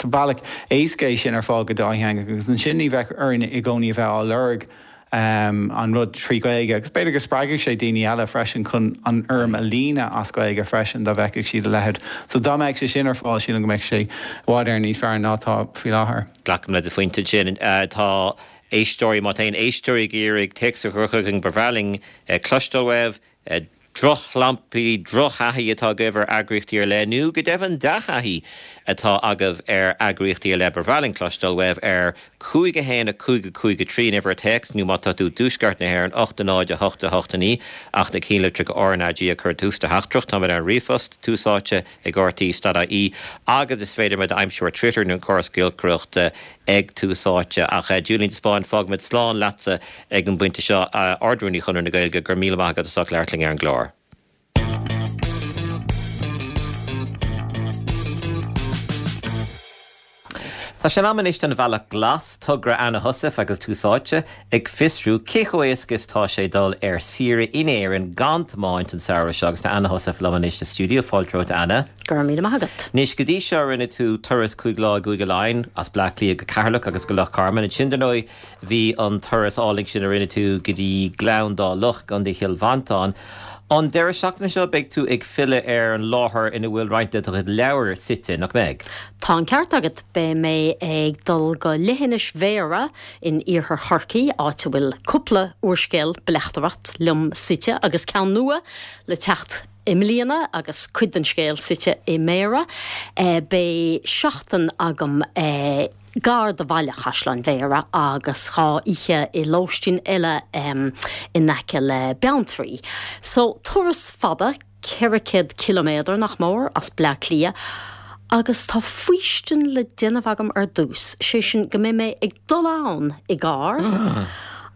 bealach éasca é sin ar fáil go dátheangach agus ansin ní bheadh orainn i gcónaí a bheith á lorg an rud trí Ghaeilge agus b'fhéidir go spreagfadh sé daoine eile freisin chun an fhoirm a líonadh as Gaeilge freisin dá bhfeicfeadh siad a leithéid. So dá mbeadh sé sin ar fáil sílim go mbeadh sé i bhfad Éireann níos fearr ná atá faoi láthair. Glacaim le do phointe ansin. Tá éisteoirí, má tá aon éisteoirí ag iarraidh téacs a chur chugainn ba bhreá linn cloisteáil uaibh. Drochshamplaí, drochthaithí atá agaibh ar eagraíochtaí ar leith, nó go deimhin dea-thaithí atá agaibh ar eagraíochtaí ar leith, ba bhreá linn cloisteáil uaibh ar 5 1 5 5 3 an uimhir téacs, nó má tá tú i dtuaisceart na hÉireann, 8 0 8 8 9, ach na cinnlitreacha RnaG a chur i dtús do theachtaireacht. Táimid ar an ríomhphost, Tús Áite ag rte.ie agus is féidir muid a aimsiú ar Twitter nó an córas giolcaireachta ag Tús Áite. Ach Julian de Spáinn, fágfaimid slán leatsa ag an bpointe seo, Ard-Rúnaí Chonradh na Gaeilge, go raibh míle maith agat as ucht labhairt linn ar an gclár. Tá sé in am anois don Bhealach Glas, togra Anna Heussaff agus Tús Áite, ag fiosrú cé chomh éasca is tá sé dul ar saoire in Éirinn gan tiomáint an samhradh seo agus tá Anna Heussaff liom anois sa stiúideo. Fáilte romhat Anna. Go raibh míle maith agat. Anois, go dtí seo rinne tú turas 5 lá i gCúige Laighean, as Bleá Cliath go Ceatharlach agus go Loch Garman. Ansin, dar ndóigh, Bhí an turas álainn sin a rinne tú go dtí Gleann Dá Loch i gContae Chill Mhantáin. An deireadh seachtaine seo beidh tú ag filleadh ar an láthair ina bhfuil roinnt de do chuid leabhar suite, nach mbeidh? Tá an ceart agat. Beidh mé ag dul go Leithinis Bhéarra in iarthar Chorcaí, áit a bhfuil cúpla úrscéal bleachtaireacht liom suite agus ceann nua le teacht i mbliana agus cuid den scéal suite i mBéarra. Beidh seachtain agam gar do bhaile Chaisleáin Bhéarra agus 2 oíche i lóistín eile in aice le Beanntraí. So, turas fada, 400 ciliméadar, nach mór, as Bleá Cliath agus tá faoistin le déanamh agam ar dtús, sé sin go mbeidh mé ag dul ann i gcarr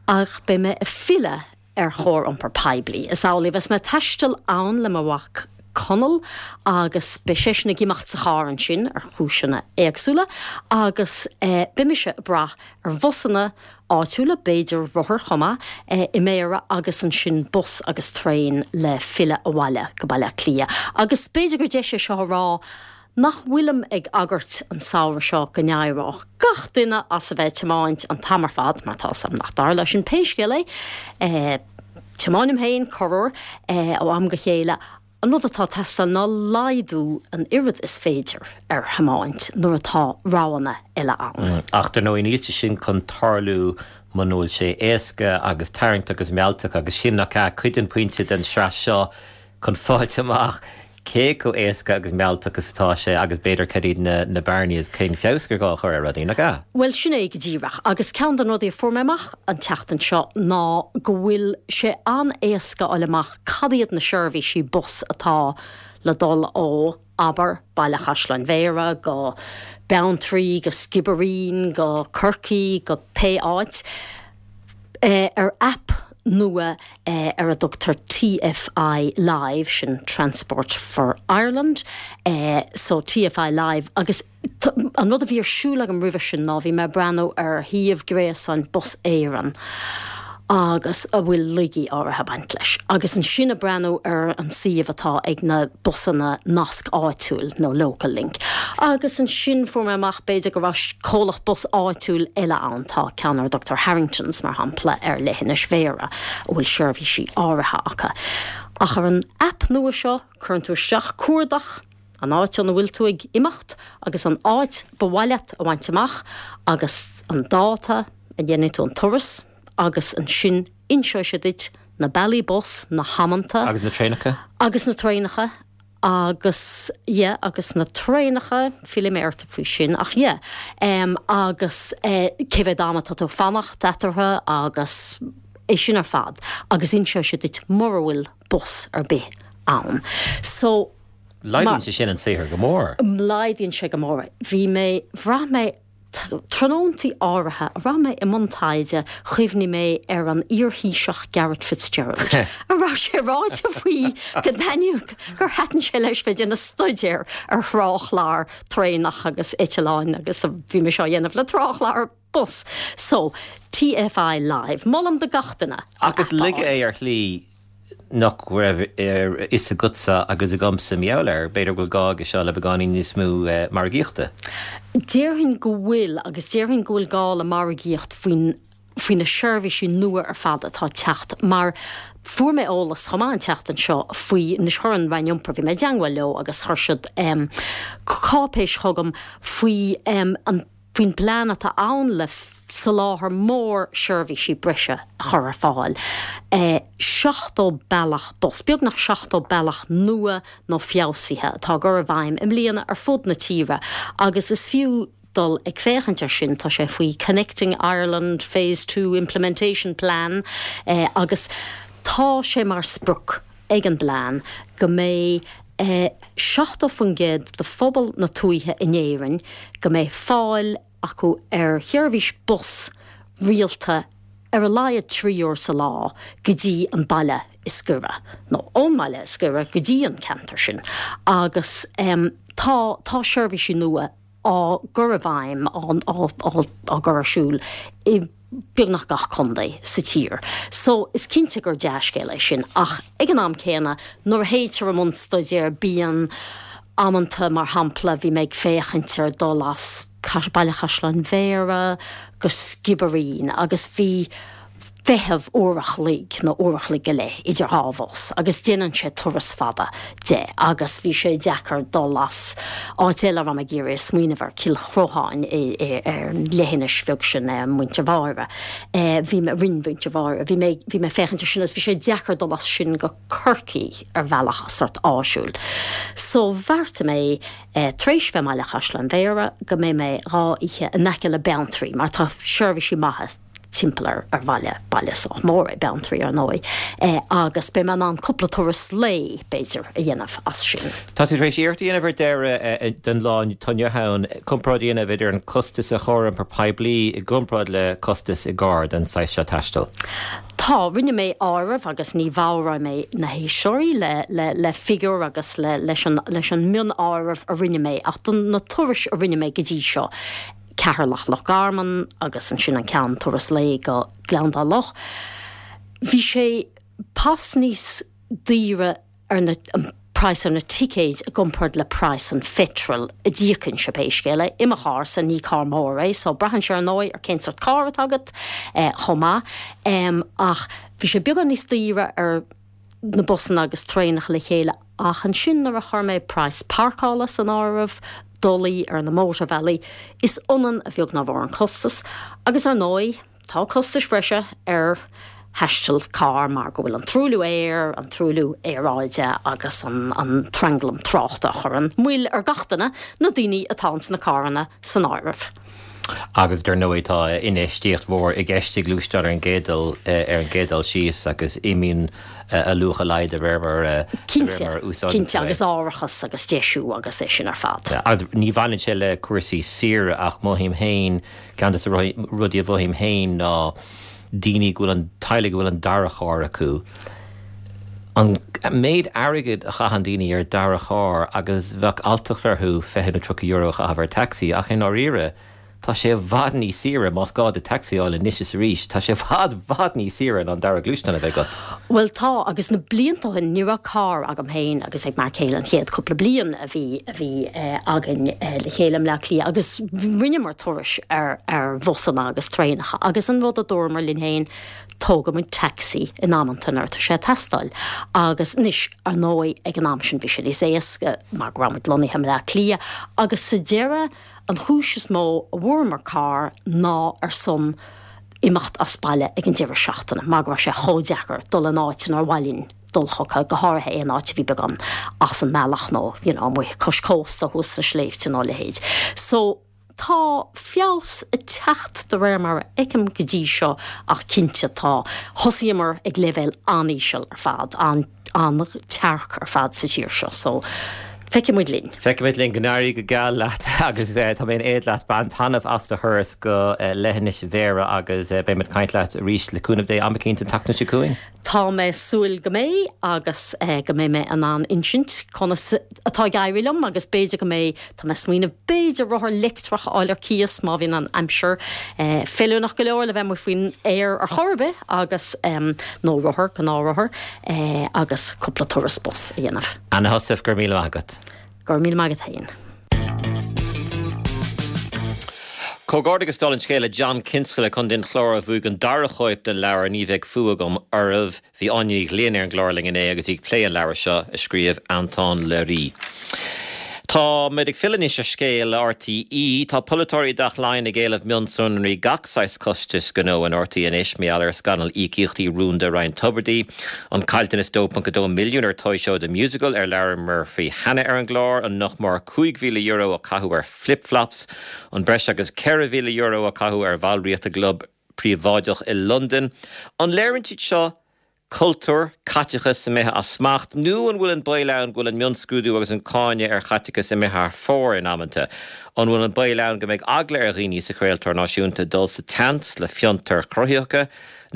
ach beidh mé ag filleadh ar chóir iompar poiblí. Is amhlaidh a bheas mé ag taisteal ann le mo mhac Conall agus beidh seisean ag imeacht sa charr ansin ar chúiseanna éagsúla agus beidh mise ag brath ar bhusanna áitiúla, b'fhéidir rothair chomh maith, i mBéarra agus ansin bus agus traein le filleadh abhaile go Baile Átha Cliath. Agus b'fhéidir gur deis é seo a rá nach bhfuilim ag agairt an samhradh seo go n-éireodh gach duine as a bheith ag tiomáint an t-am ar fad, mar tá 'fhios a'm nach dtarlóidh sin pé scéal é. Tiomáinim féin corruair ó am go chéile. An rud atá ag teastáil ná laghdú an oiread is féidir ar thiomáint nuair atá roghanna eile ann. Ach dar ndóigh níl sé sin chun tarlú muna bhfuil sé éasca agus tarraingteach agus mealltach agus sin, nach ea, cuid den phointe den sraith seo chun fáilt amach cé chomh éasca agus mealltach is atá sé agus b'fhéidir cad iad na bearnaí agus cén feabhas gur gá a chur ar rudaí, nach ea? Bhuel, sin é go díreach. Agus ceann de na rudaí a fuair mé amach an tseachtain seo ná go bhfuil sé an-éasca a fháil amach cad iad na seirbhísí bus atá le dul ó, abair, Baile Chaisleáin Bhéarra go Beanntraí, go Sciobairín, go Corcaigh, go pé áit. Ar aip nua ar a dtugtar TFI Live, sin Transport for Ireland, so TFI Live, agus an rud a bhí ar siúl agam roimhe sin ná bhí mé ag breathnú ar shuíomh gréasáin Bus Éireann agus a bhfuil laigí áirithe ag baint leis, agus ansin ag breathnú ar an suíomh atá ag na busanna nasc áitiúil nó Local Link. Agus ansin fuair mé amach b'fhéidir go raibh comhlacht bus áitiúil eile ann, tá ceann ar a dtugtar Harringtons mar shampla ar leithinis Bhéarra a bhfuil seirbhísí áirithe acu. Ach ar an aip nua seo cuireann tú isteach cuardach, an áit óna bhfuil tú ag imeacht agus an áit ba mhaith leat a bhaint amach agus an dáta a dhéanfaidh tú an turas agus ansin inseoidh sé duit na bealaí bus, na hamanta. Agus na traenacha. Agus na traenacha agus yeah agus na traenacha, fillfidh mé ort faoi sin ach yeah em agus eh cé mhéad am atá tú ag fanacht eatarthu agus é sin ar fad agus inseoidh sé duit mura bhfuil bus ar bith ann. So Laghdaíonn sé sin an saothar go mór. Laghdaíonn sé go mór é. Bhí mé, bhraith mé Tráthnóntaí áirithe a raibh mé i mbun taighde chuimhnigh mé ar an iar-Thaoiseach Garret FitzGerald, a raibh sé ráite faoi go dtaitníodh, gur thaitin sé leis bheith ag déanamh staidéir ar thráthchlár traenach agus eitleáin agus bhí mise á dhéanamh le tráthchlár bus. So, TFI Live. Molaim do gach duine an Ach is aip a laige fháil. é ar shlí nach raibh a fhios agatsa agus agamsa mar gheall air. B'fhéidir go bhfuil gá aige seo le beagáinín níos mó margaíochta. Déarfainn go bhfuil, agus déarfainn go bhfuil gá le margaíocht faoin, faoi na seirbhísí nua ar fad atá ag teacht mar fuair mé eolas chomh maith an tseachtain seo faoi, anois chuir an Roinn Iompair, bhí mé i dteangmháil leo agus chuir siad cáipéis chugam faoi an, faoin bplean atá ann le. soláthar mór seirbhísí breise a chur ar fáil, 70 bealach bus, beagnach 70 bealach nua nó feabhsaithe atá á gcur i bhfeidhm i mbliana ar fud na tíre agus is fiú dul ag féachaint air sin, tá sé faoi Connecting Ireland Phase 2 Implementation Plan agus tá sé mar sprioc ag an bplean go mbeidh 70% de phobal na tuaithe in Éirinn go mbeidh fáil acu ar sheirbhís bus rialta ar a laghad 3 uair sa lá go dtí an baile is gaire, nó ón mbaile is gaire go dtí an ceantar sin agus tá tá seirbhísí nua á gcur i bhfeidhm, á á gcur ar siúl i beagnach gach contae sa tír. So is cinnte gur dea-scéal é sin ach ag an am céanna nuair a théitear i mbun staidéir bíonn amanta, mar shampla bhí mé ag féachaint ar dul as Baile Chaisleáin Bhéarra go Sciobairín agus bhí feitheamh uair a chloig nó uair a chloig go leith idir dhá bhus agus déanann sé turas fada de agus bhí sé deacair dul as áit eile a raibh mé ag iarraidh smaoineamh ar Cill Chrotháin ar an leithinis bheag sin Muintir Bháire bhí mé Rinn Mhuintir Bháire bhí mé bhí mé féachaint ar sin agus bhí sé deacair dul as sin go Corcaigh ar bhealach sort áisiúil. So bheartaigh mé tar éis bheith i mBaile Chaisleáin Bhéarra go mbeidh mé dhá oíche in aice le Beanntraí mar tá seirbhísí maithe timpeall ar ar bhaile, baile sách mór é Beanntraí ar ndóigh, agus beidh mé in ann cúpla turas lae, b'fhéidir, a dhéanamh as sin. Tá tú tar éis iarracht a dhéanamh ar deireadh den lá atá inniu ann, comparáid a dhéanamh idir an costas ar chóir iompar poiblí i gcomparáid le costas i gcarr don saghas seo taistil. Tá, rinne mé áireamh agus ní bhodhróidh mé na héisteoirí le le le figiúr agus le leis an leis an mionáireamh a rinne mé ach do na turais a rinne mé go dtí seo, Ceatharlach Loch Garman agus ansin an ceann turas lae go Gleann Dá Loch. Bhí sé pas níos daoire ar na, an praghas ar na ticéid i gcomparáid le praghas an pheitril a d'íocfainnse pé scéal é, i mo charr-sa, ní carr mór é so braitheann sé ar ndóigh ar cén sort carr atá agat chomh maith ach bhí sé beagán níos daoire ar na busanna agus traenacha le chéile ach ansin nuair a chuir mé praghas páirceála san áireamh, dolaí ar na mótarbhealaí, is ionann a bheag ná mhór an costas agus ar ndóigh tá costais bhreise ar thaisteal cairr mar go bhfuil an truailliú aeir, an truailliú aeráide agus an an tranglam tráchta a chuireann moill ar gach duine, na daoine atá ins na carranna san áireamh. Agus dar ndóigh tá infheistíocht mhór i gceist i ngluaisteán ar an gcéad dul ar an gcéad dul síos agus imíonn a luach i laghad de réir mar a Cinnte, úsáideann cinnte, tú é. agus árachas agus deisiú agus é sin ar fad. Agus ní bhaineann sé le cúrsaí saoire ach mothaím féin, ceann de na rudaí a mhothaím féin ná daoine go bhfuil an, teaghlaigh go bhfuil an dara charr acu, an méid airgid a chaitheann daoine ar dara charr agus bheadh alltacht orthu €20 nó €30 a chaitheamh ar taxi ach i ndáiríre tá sé i bhfad níos saoire más gá duit taxi a fháil anois is arís, tá sé i bhfad, bhfad níos saoire ná an dara gluaisteán a bheith agat. Bhuel tá agus na blianta ó shin ní raibh carr agam féin agus ag m'fhear céile an chéad cúpla bliain a bhí a bhí againn le chéile i mBleá Cliath agus rinneamar turais ar ar bhusanna agus traenacha agus an rud a dúramar linn féin tógfaidh muid taxi in amanta nuair atá sé ag teastáil. Agus anois, ar ndóigh, ag an am sin bhí sé níos éasca mar go raibh muid lonnaithe i mBleá Cliath agus sa deireadh an chúis is mó a bhfuaireamar carr ná ar son imeacht as baile ag an deireadh seachtaine mar go raibh sé chomh deacair dul in áit inar mhaith linn dul chucu, go háirithe aon áit a bhí beagán as an mbealach nó you know amuigh cois cósta thuas sna sléibhte nó a leithéid. So. Tá feabhas ag teacht de réir mar a fheicim go dtí seo ach cinnte tá. Thosaíomar ag leibhéal an-íseal ar fad, an-tearc ar fad sa tír seo so feicfidh muid linn. Feicfidh muid linn. Go n-éirí go geal leat agus tá mé in éad leat. Bain taitneamh as do thuras go Leithinis Bhéarra agus beidh muid ag caint leat arís le cúnamh Dé am eicínt an tseachtain seo chugainn. Tá mé ag súil go mbeidh agus go mbeidh mé in ann insint conas atá ag éirí liom agus b'fhéidir go mbeidh, tá mé ag smaoineamh b'fhéidir rothar leictreach a fháil ar cíos má bhíonn an aimsir feiliúnach go leor le bheith amuigh faoin aer ar chor ar bith agus, nó rothar, gnáthrothar, agus cúpla turas bus a dhéanamh. Anna Heussaff, go raibh míle maith agat. Go raibh míle maith agat féin. Comhghairdeachas dála an scéil le John Kinsella, Contae an Chláir, a bhuaigh an dara chóip den leabhar Ní Bheidh Fuath Agam Oraibh. Bhí Áine Ní Ghlinn ar an gclár linn inné agus í ag plé an leabhair seo a scríobh Antoine Leiris. Táimid ag filleadh anois ar scéal RTÉ. Tá polaiteoirí i dTeach Laighean ag éileamh mionsonraí gach saghas costais gnó in RTÉ anois mar gheall ar scannal íocaíochtaí rúnda Ryan Tubridy, an caillteanas 2.2 milliún ar Toy Show The Musical ar labhramar faoi cheana ar an gclár, an nach mór €5,000 a caitheadh ar flip flops, an breis agus €4,000 a caitheadh ar bhallraíocht i gclub príobháideach i Londain. An léiríonn siad seo cultúr caiteachais imithe as smacht nó an bhfuil an baol ann go bhfuil an mionscrúdú agus an cáineadh ar chaiteachas imithe thar fóir in amanta? An bhfuil an baol ann go mbeidh eagla ar dhaoine sa chraoltóir náisiúnta dul sa tseans le fiontair chruthaitheacha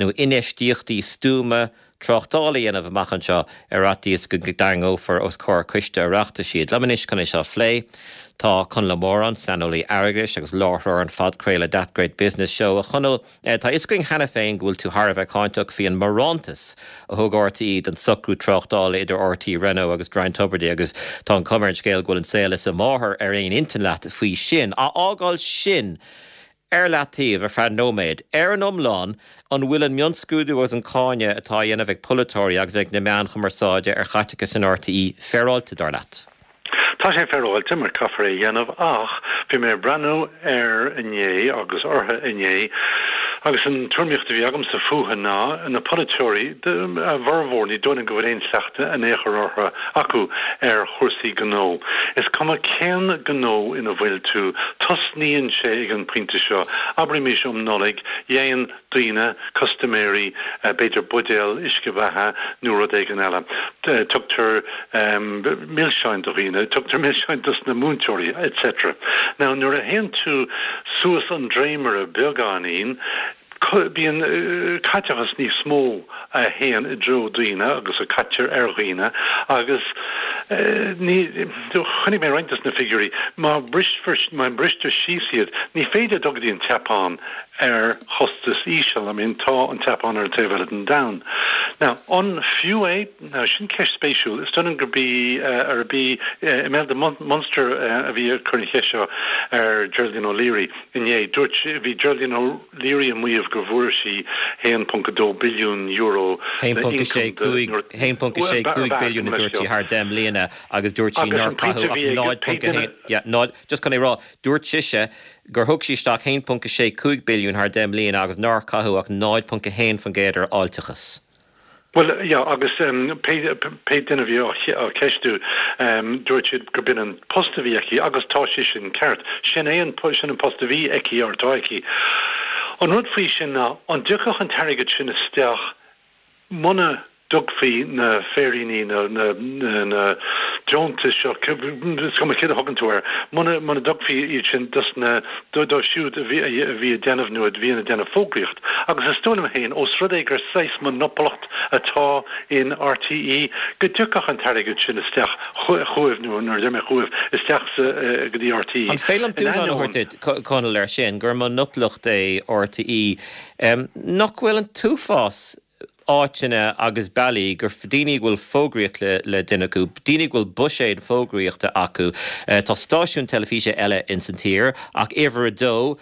nó infheistíochtaí stuama tráchtála a dhéanamh amach anseo ar fhaitíos go dtarraingeofar os comhair coiste Oireachtais iad? Liom anois chun é seo a phlé tá Conall Ó Móráin, saineolaí airgeadais agus láithreoir an phodchraoladh That Great Business Show. A Chonaill, Tá a fhios againn cheana féin go bhfuil tú thar a bheith cáinteach faoi an mbarántas a thug RTÉ don socrú tráchtála idir RTÉ Renault agus Ryan Tubridy agus tá an chuma ar an scéal go bhfuil an saol is a mháthair ar aon intinn leat faoi sin. Á fhágáil sin ar leataobh ar feadh nóiméad, ar an iomlán, an bhfuil an mionscrúdú agus an cáineadh atá á dhéanamh ag polaiteoirí agus ag na meáin chumarsáide ar chaiteachas in RTÉ féaráilte, dar leat? Tá sé féaráilte mar caithfear é a dhéanamh ach bhí mé ag breathnú air inné agus orthu inné agus an tuairimíocht a bhí agamsa fúthu ná na polaiteoirí, a bhformhór, ní dóigh liom go bhfuil aon chleachtadh in aon chor orthu, acu ar chúrsaí gnó. Is cuma cén gnó ina bhfuil tú, tosnaíonn sé ag an pointe seo, abraimis um Nollaig, dhéan daoine, custaiméirí, b'fhéidir buidéal uisce beatha nó rud éigin eile. Tugtar milseáin do dhaoine, tugtar milseáin dos na múinteoirí, etc. Now nuair a théann tú suas an dréimire beagáinín, bíonn caiteachas níos mó a théann i dtreo daoine agus a caitear ar dhaoine agus ní, chonaic mé roinnt dos na figiúirí, má má bristear síos iad, ní féidir dul go dtí an tSeapáin ar chostas íseal. I mean, tá an tSeapáin ar an taobh eile den domhan. Now, an fiú é? Now, sin ceist spéisiúil. Is dóigh liom gurb í, arb í Imelda Munster a bhí ag cur an cheist seo ar Geraldine O'Leary inné. Dúirt, bhí Geraldine O'Leary ag maíomh go bhfuair sí €1.2 billiún 1.65, 1.65 billiún a dúirt sí thar 10 mbliana agus dúirt sí nár caitheadh ach 0.1, yeah, 0, just chun é a rá, dúirt sise gur thug sí isteach 1.65 billiún thar 10 mbliana agus nár caitheadh ach 0.1% ar fháilteachas. Bhuel, yeah, agus pé duine a bhí á ceistiú, dúirt siad gurb in an post a bhí aici agus tá sé sin ceart. Sin é an, sin an post a bhí aici or atá aici. An rud faoi sin ná, an dtiocfadh an t-airgead sin isteach Muna dtugfaí na féiríní, na deontais seo, is cuma céard a thugann tú air, muna dtugfaí iad sin dos na, dóibh siúd a bhí ag déanamh nó a bhíonn ag déanamh fógraíocht. Agus is dóigh liom féin, ós rud é gur saghas monopolacht atá in RTÉ, go dtiocfadh an t-airgead sin isteach chugaibh, nó nuair a deir mé chugaibh, isteach sa, go dtí RTÉ. An féidir liom dúshlán a thabhairt duit, Conall, air sin, gur monopolacht é RTÉ? Nach bhfuil an t-uafás áiteanna agus bealaí gur daoine go bhfuil fógraíocht le déanamh acu, daoine go bhfuil buiséad fógraíochta acu. Tá stáisiúin teilifíse eile ins an tír ach uimhir a dó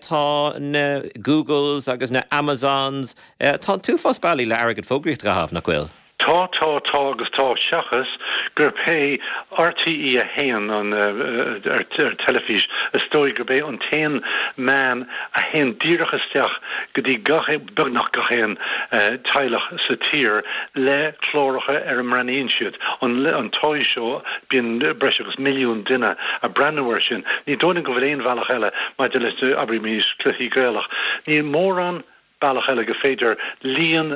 tá na Googles agus na Amazons, tá an t-uafás bealaí le airgead fógraíochta a chaitheamh, nach bhfuil? Tá, tá, tá agus tá, seachas gurb é RTÉ 1 an ar teilifís, is dóigh gurb é an t-aon meán a théann díreach isteach go dtí gach, beagnach gach aon teaghlach sa tír le cláracha ar a mbreathnaíonn siad. An an Toy Show, bíonn breis agus milliún duine ag breathnú air sin. Ní dóigh liom go bhfuil aon bhealach eile maidir le, abraimis, cluichí Gaelach. Níl mórán bealach eile go féidir líon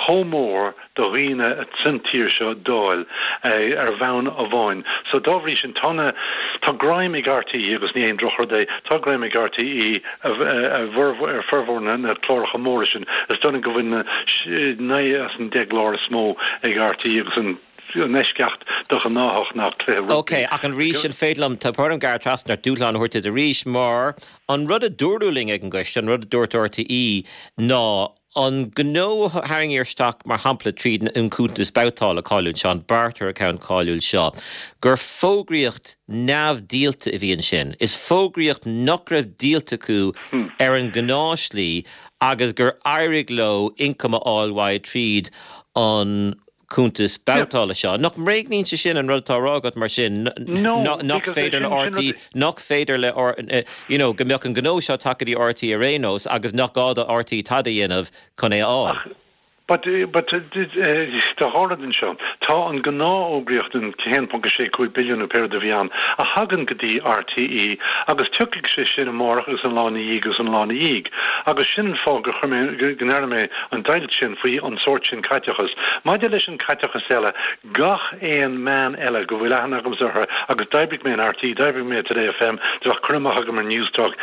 chomh mór de dhaoine san tír seo d'fháil ar bhonn amháin. So dá bhrí sin tá na, tá greim ag RTÉ agus ní aon drochrud é, tá greim ag RTÉ ar formhór na cláracha móra sin. Is dóigh liom go bhfuil na 9 as an 10 gclár is mó ag RTÉ agus an an eisceacht de ghnáthach ná cluiche rugbaí. Ok, ach arís an féidir liom, tá orm gearradh trasna ort, dúshlán a thabhairt duit arís, mar an rud a dúradh linn ag an gcoiste, an rud a dúirt RTÉ ná an gnó a tharraingíodh isteach, mar shampla, tríd an cuntas babhtála cáiliúil seo, an barter account cáiliúil seo, gur fógraíocht neamhdhíolta a bhí ansin. Is fógraíocht nach raibh díolta acu ar an ngnáthshlí agus gur éirigh leo ioncam a fháil uaidh tríd an. Cuntas babhtála seo. Nach mbréagnaíonn sé sin an rud atá á rá agat mar sin, nach féidir le RTÉ, nach féidir le, you know, go mbeadh an gnó seo tagtha go dtí RTÉ ar aon nós agus nach gá do RTÉ tada a dhéanamh chun é a fháil? But, but, tá dhá rud anseo. Tá an gnáthfhógraíocht, an 1.65 billiún nó pé rud a bhí ann, a thagann go dtí RTÉ agus tiocfaidh sé sin amárach agus an lá ina dhiaidh agus an lá ina dhiaidh. Agus sin an fáth gur chuir mé, go ndearna mé an deighilt sin faoi an sórt sin caiteachas. Maidir leis an caiteachas eile, gach aon meán eile go bhfuil aithne agamsa orthu, agus d'oibrigh mé in RTÉ, d'oibrigh mé i Today FM, do bheadh cur amach agam ar Newstalk,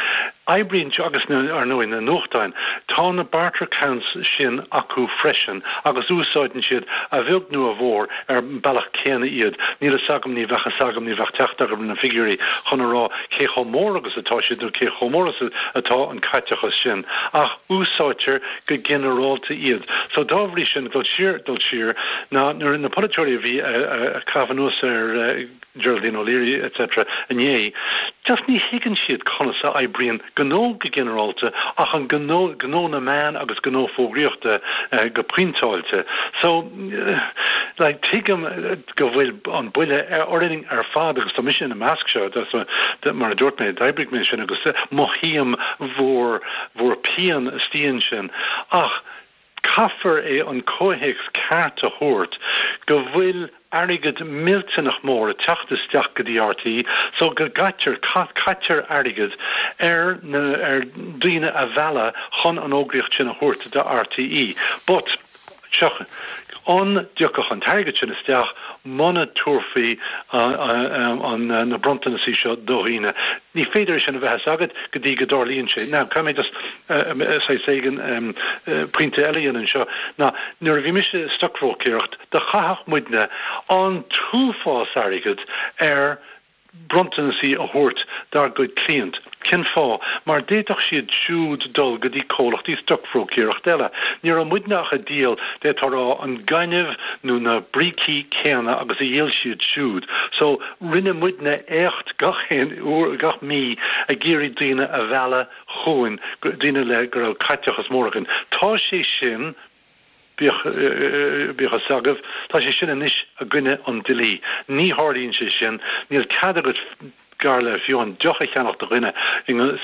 oibríonn, agus na, ar ndóigh, na nuachtáin, tá na barter accounts sin acu freisin agus úsáideann siad, a bheag nó a mhór, ar an bealach céanna iad. Níl fhios agam, ní bheadh fhios agam, ní bheadh teacht agam ar na figiúirí chun a rá cé chomh mór agus atá siad nó cé chomh mór is atá an caiteachas sin, ach úsáidtear go ginearálta iad. So dá bhrí sin, dul siar, dul siar, ná nuair na polaiteoirí a bhí ag caitheamh anuas ar Geraldine O'Leary etc. inné, just ní thuigeann siad conas a oibríonn gnó go ginearálta ach an gnó, gnó na meán agus gnó fógraíochta go pointeáilte. So, like, tuigim go bhfuil an buille orainn ar fad agus tá mise ina measc seo, mar a dúirt mé, d'oibrigh mé sin agus mothaím bhur bhur pian istigh ansin ach caithfear é an comhthéacs ceart a thabhairt go bhfuil airgead millteanach mór ag teacht isteach go dtí RTÉ so go gcaitear, caitear airgead ar na, ar daoine a mhealladh chun an fhógraíocht sin a thabhairt do RTÉ. But. Seo, an dtiocfadh an t-airgead sin isteach muna dtabharfaí an na bronntanasaí seo do dhaoine? Ní féidir é sin a bheith fhios agat go dtí go dtarlaíonn sé. Now, caithfidh mé just saghas éigin pointe eile a dhéanamh anseo, ná nuair a bhí mise i stocbhróicéireacht, do chaitheadh muidne an t-uafás airgid ar bronntanasaí a thabhairt dár gcuid cliant. Cén fáth? Mar d'fhéadfadh siad siúd dul go dtí comhlachtaí stocbhróicéireachta eile. Ní raibh muidne ach ag díol, d'fhéadfá a rá, an gaineamh nó na brící céanna agus a dhíol siad siúd. So, rinne muidne éacht gach aon uair, gach mí, ag iarraidh daoine a mhealladh chugainn, daoine le go raibh caiteachas mór againn. Tá sé sin. Bíodh bíodh fhios agaibh, tá sé sin anois i gcoinne an dlí. Ní tharlaíonn sé sin. Níl cead agat gar le fiú amháin deoch a cheannach do dhuine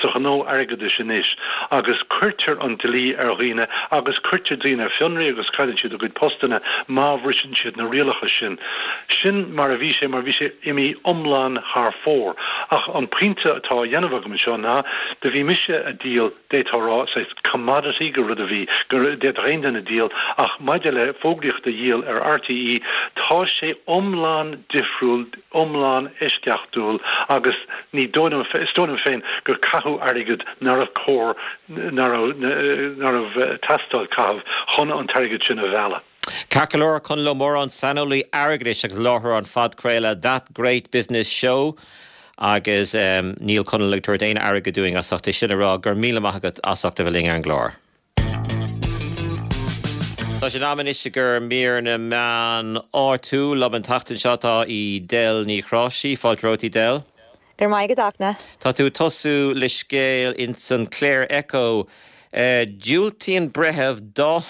sa ghnó airgeadais anois agus cuirtear an dlí ar dhaoine agus cuirtear daoine ar fionraí agus cailleann siad a gcuid postanna má bhriseann siad na rialacha sin. Sin mar a bhí sé mar bhí sé imithe iomlán thar fóir. Ach an pointe atá á dhéanamh agam anseo ná do bhí mise a díol d'fhéadfá a rá, saghas commodity, gur rud a bhí, go bhféadfadh aon duine díol, ach maidir le fógraíocht a dhíol ar RTÉ, tá sé iomlán difriúil, iomlán eisceachtúil agus ní dóigh liom, is dóigh liom féin gur caitheadh airgead nárbh chóir, ná raibh, ná raibh ag teastáil caitheamh chun an t-airgead sin a mhealladh. Ceart go leor, Conall Ó Móráin, saineolaí airgeadais agus láithreoir an phodchraoladh That Great Business Show agus níl Conall ag tabhairt aon airgead dúinn as ucht é sin a rá. Go raibh míle maith agat as ucht a bheith linn ar an gclár. Tá sé in am anois i gcomhair mír na meán áitiúil. Liom an tseachtain seo tá Edel Ní Chroisigh. Fáilte romhat Edel. Go raibh maith agat Fhachtna. Tá tú ag tosú le scéal ins an Clare Echo. Diúltaíonn breitheamh dán.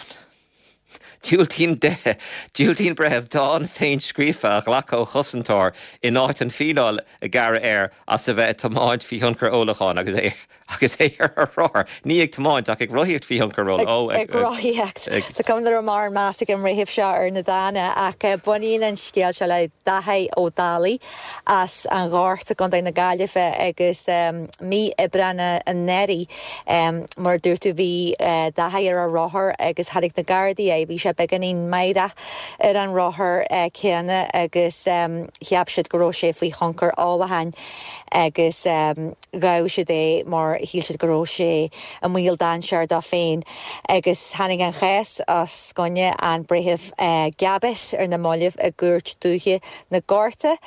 Diúltaíonn Diúltaíonn breitheamh dán féinscríofa a ghlacadh ó chosantóir in áit an fíneáil a gearradh air as a bheith ag tiomáint faoi thionchar ólacháin agus é agus é ar a rothar, ní ag tiomáint ach ag rothaíocht faoi thionchar ól, ó, ag. Ag rothaíocht. Is cuma nach raibh mórán meas ag an mbreitheamh seo ar na dána ach baineann an scéal seo le Dáithí Ó Dálaigh as an Ghort i gContae na Gaillimhe agus mí Aibreáin anuraidh Mar a dúirt tú, bhí Dáithí ar a rothar agus tháinig na Gardaí air. Bhí sé beagáinín meidhreach ar an rothar céanna agus cheap siad go raibh sé faoi thionchar ólacháin agus ghabh siad é mar shíl siad go raibh sé i mbaol dainséir dó féin. Agus tháinig an chás os coinne an Breitheamh Gabbett ar na mallaibh i gCúirt Dúiche na Gorta.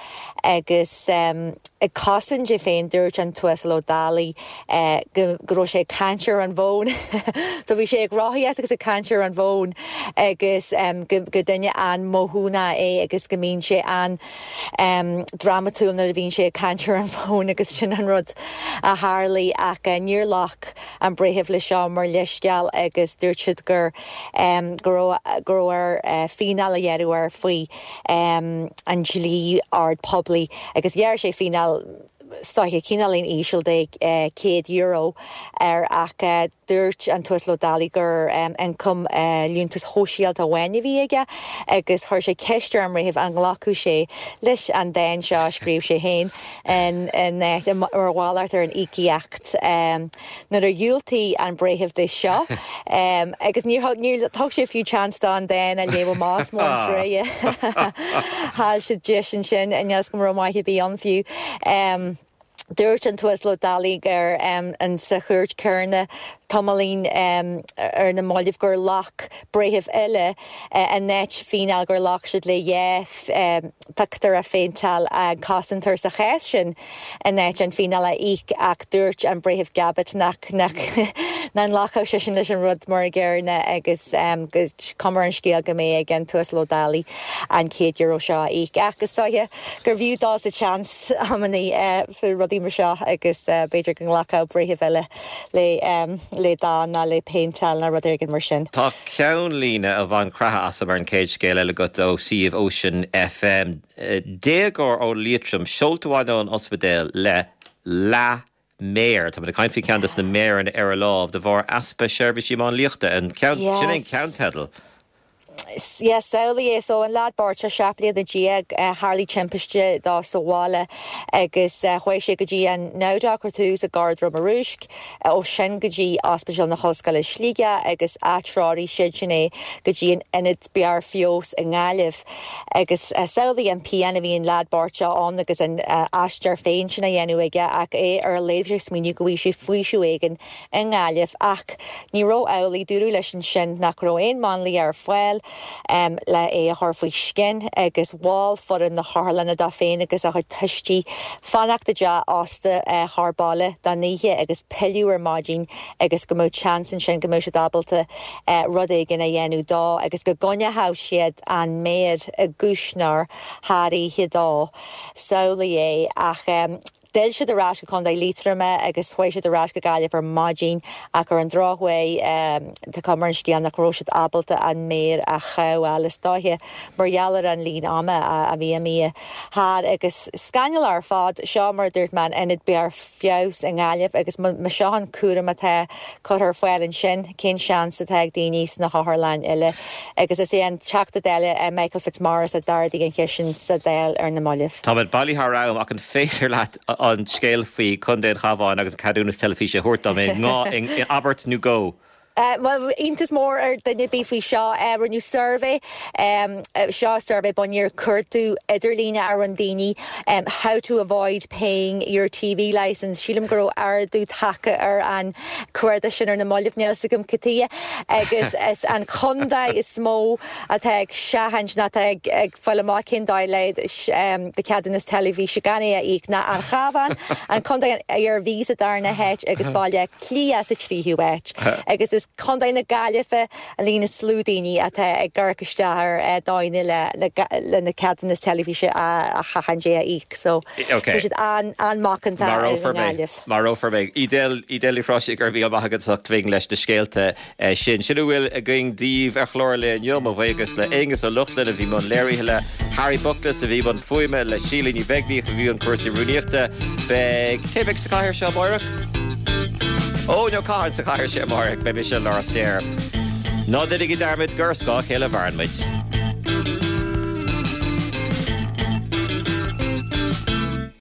Agus ag cosaint é féin, dúirt an tUasal Ó Dálaigh go raibh sé ag caint ar an bhfón. So bhí sé ag rothaíocht agus ag caint ar an bhfón. agus go duine an-mhothúnach é agus go mbíonn sé an-drámatúil nuair a bhíonn sé ag caint ar an bhfón agus sin an rud a tharlaigh ach níor ghlac an breitheamh leis seo mar leithscéal agus dúirt siad gur go raibh go raibh air fíneáil a ghearradh air faoi an dlí ord poiblí agus ghearr sé fíneáil is dóiche cineáilín íseal de €100 air ach dúirt an tUasal Ó Dálaigh gur ioncam liúntais shóisialta amháin a bhí aige agus chuir sé ceist ar an mbreitheamh an nglacfadh sé leis an dán seo a scríobh sé féin in áit mar mhalairt ar an íocaíocht. Nuair a dhiúltaigh an breitheamh de seo agus níor níor thug sé fiú chance dó an dán a léamh amach is mó an truaighe. Chaill siad deis ansin, níl 'fhios agam an raibh maith ar bith ann fiú. Dúirt an tUasal Ó Dálaigh ar an sa chúirt chéanna tamaillín ar na mallaibh gur ghlac breitheamh eile in áit fíneáil gur ghlac siad le dhá phictiúr a phéinteáil an cosantóir sa chás sin in áit an fíneáil a íoc ach dúirt an Breitheamh Gabbett nach nach nglacfadh seisean leis an rud mar an gcéanna agus go cuma ar an scéal go mbeidh ag an tUasal Ó Dálaigh an €100 seo a íoc. Ach is dóiche gurbh fhiú dul sa tseans amannaí faoi rudaí mar seo agus b'fhéidir go nglacfadh breitheamh eile le le dán ná le péinteáil ná rud éigin mar sin. Tá ceannlíne a bhain creathadh asam ar an chéad scéal eile agat ó suíomh Ocean FM. Déagóir ó Liatroim seolta abhaile ón ospidéal le leath-mhéar. Táimid ag caint faoi cheann de na méireanna ar a lámh de bharr easpa seirbhísí máinliachta. An ceann, sin é an ceannteideal. Yes, samhlaigh é. So an leaid bocht seo, 17 bliana, tharlaigh timpiste dó sa bhaile agus chuaigh sé go dtí an NowDoc ar tús i gCorr Droma Rúisc, ó sin go dtí Ospidéal na hOllscoile Sligeach agus atreoraigh siadsan é go dtí an Ionad Barr Feabhais i nGaillimh. Agus samhlaigh an pian a bhí an leaid bocht seo ann agus an aistear féin sin á dhéanamh aige ach é ar a laghad ag smaoineamh go bhfaighidh sé faoiseamh éigin i nGaillimh. Ach ní raibh amhlaidh, dúradh leis ansin nach raibh aon máinlia ar fáil le é a chur faoi scian agus mhol foireann na hotharlainne dó féin agus a chuid tuistí fanacht i dteach ósta chóir baile don oíche agus pilleadh ar maidin agus go mbeadh seans ansin go mbeadh siad ábalta rud éigin a dhéanamh dó agus go gcoinneodh siad an méar i gcuisneoir thar oíche dó. Samhlaigh é. Ach d'fhill siad ar ais go Contae Liatroma agus chuaigh siad ar ais go Gaillimh ar maidin ach ar an drochuair tá cuma ar an scéal nach raibh siad ábalta an méar a chothabháil is dóiche mar gheall ar an líon ama a bhí imithe thar agus scannalach ar fad. Seo mar a dúirt mé an Ionad Barr Feabhais i nGaillimh agus má seo an cúram atá curtha ar fáil ansin, cén seans atá ag daoine sna hotharlanna eile? Agus is é an Teachta Dála Michael Fitzmaurice a d'ardaigh an cheist sin sa Dáil ar na mallaibh. Táimid bailithe thar am ach an féidir leat an scéal faoi Chontae an Chabháin agus an ceadúnas teilifíse a thabhairt dom in abairt nó dhó? Bhuel, iontas mór ar dhuine ar bith faoi seo. Rinneadh suirbhé, seo suirbhé bunaithe ar chuardach idirlíne a rinne daoine, 'How to avoid paying your TV licence'. Sílim go raibh ardú tagtha ar an cuardach sin ar na mallaibh, níl 'fhios agam cad tuige. Agus is an contae is mó atá ag seachaint nó atá ag fáil amach cén dóigh le do cheadúnas teilifíse gan é a íoc ná an Chabhán, an contae an Iarmhí sa darna háit agus Baile Átha Cliath sa tríú háit. Agus is Contae na Gaillimhe an líon is lú daoine atá ag amharc isteach ar dóigheanna le na ceadúnas teilifíse a sheachaint é a íoc. So tá siad an-mhacánta ar an nGaillimh. Marófar mé. Edel Ní Chroisigh, go raibh míle maith agat as ucht bheith leis na scéalta sin. Sin a bhfuil againn daoibh ar chlár an lae inniu. Mo bhuíochas le Aonghus Ó Lochlainn a bhí i mbun léirithe, le Harry Buckless a bhí i mbun fuaime, le Síle Ní Bheaglaoich a bhí i mbun cúrsaí rúnaíochta. Beidh, cé a bheidh sa chathaoir seo amáireach? Ó, níl Cathair sa chathaoir seo amáireach, beidh mise Lár Saor. Ná déanaigí dearmad gur ar scáth a chéile a mhaireann muid.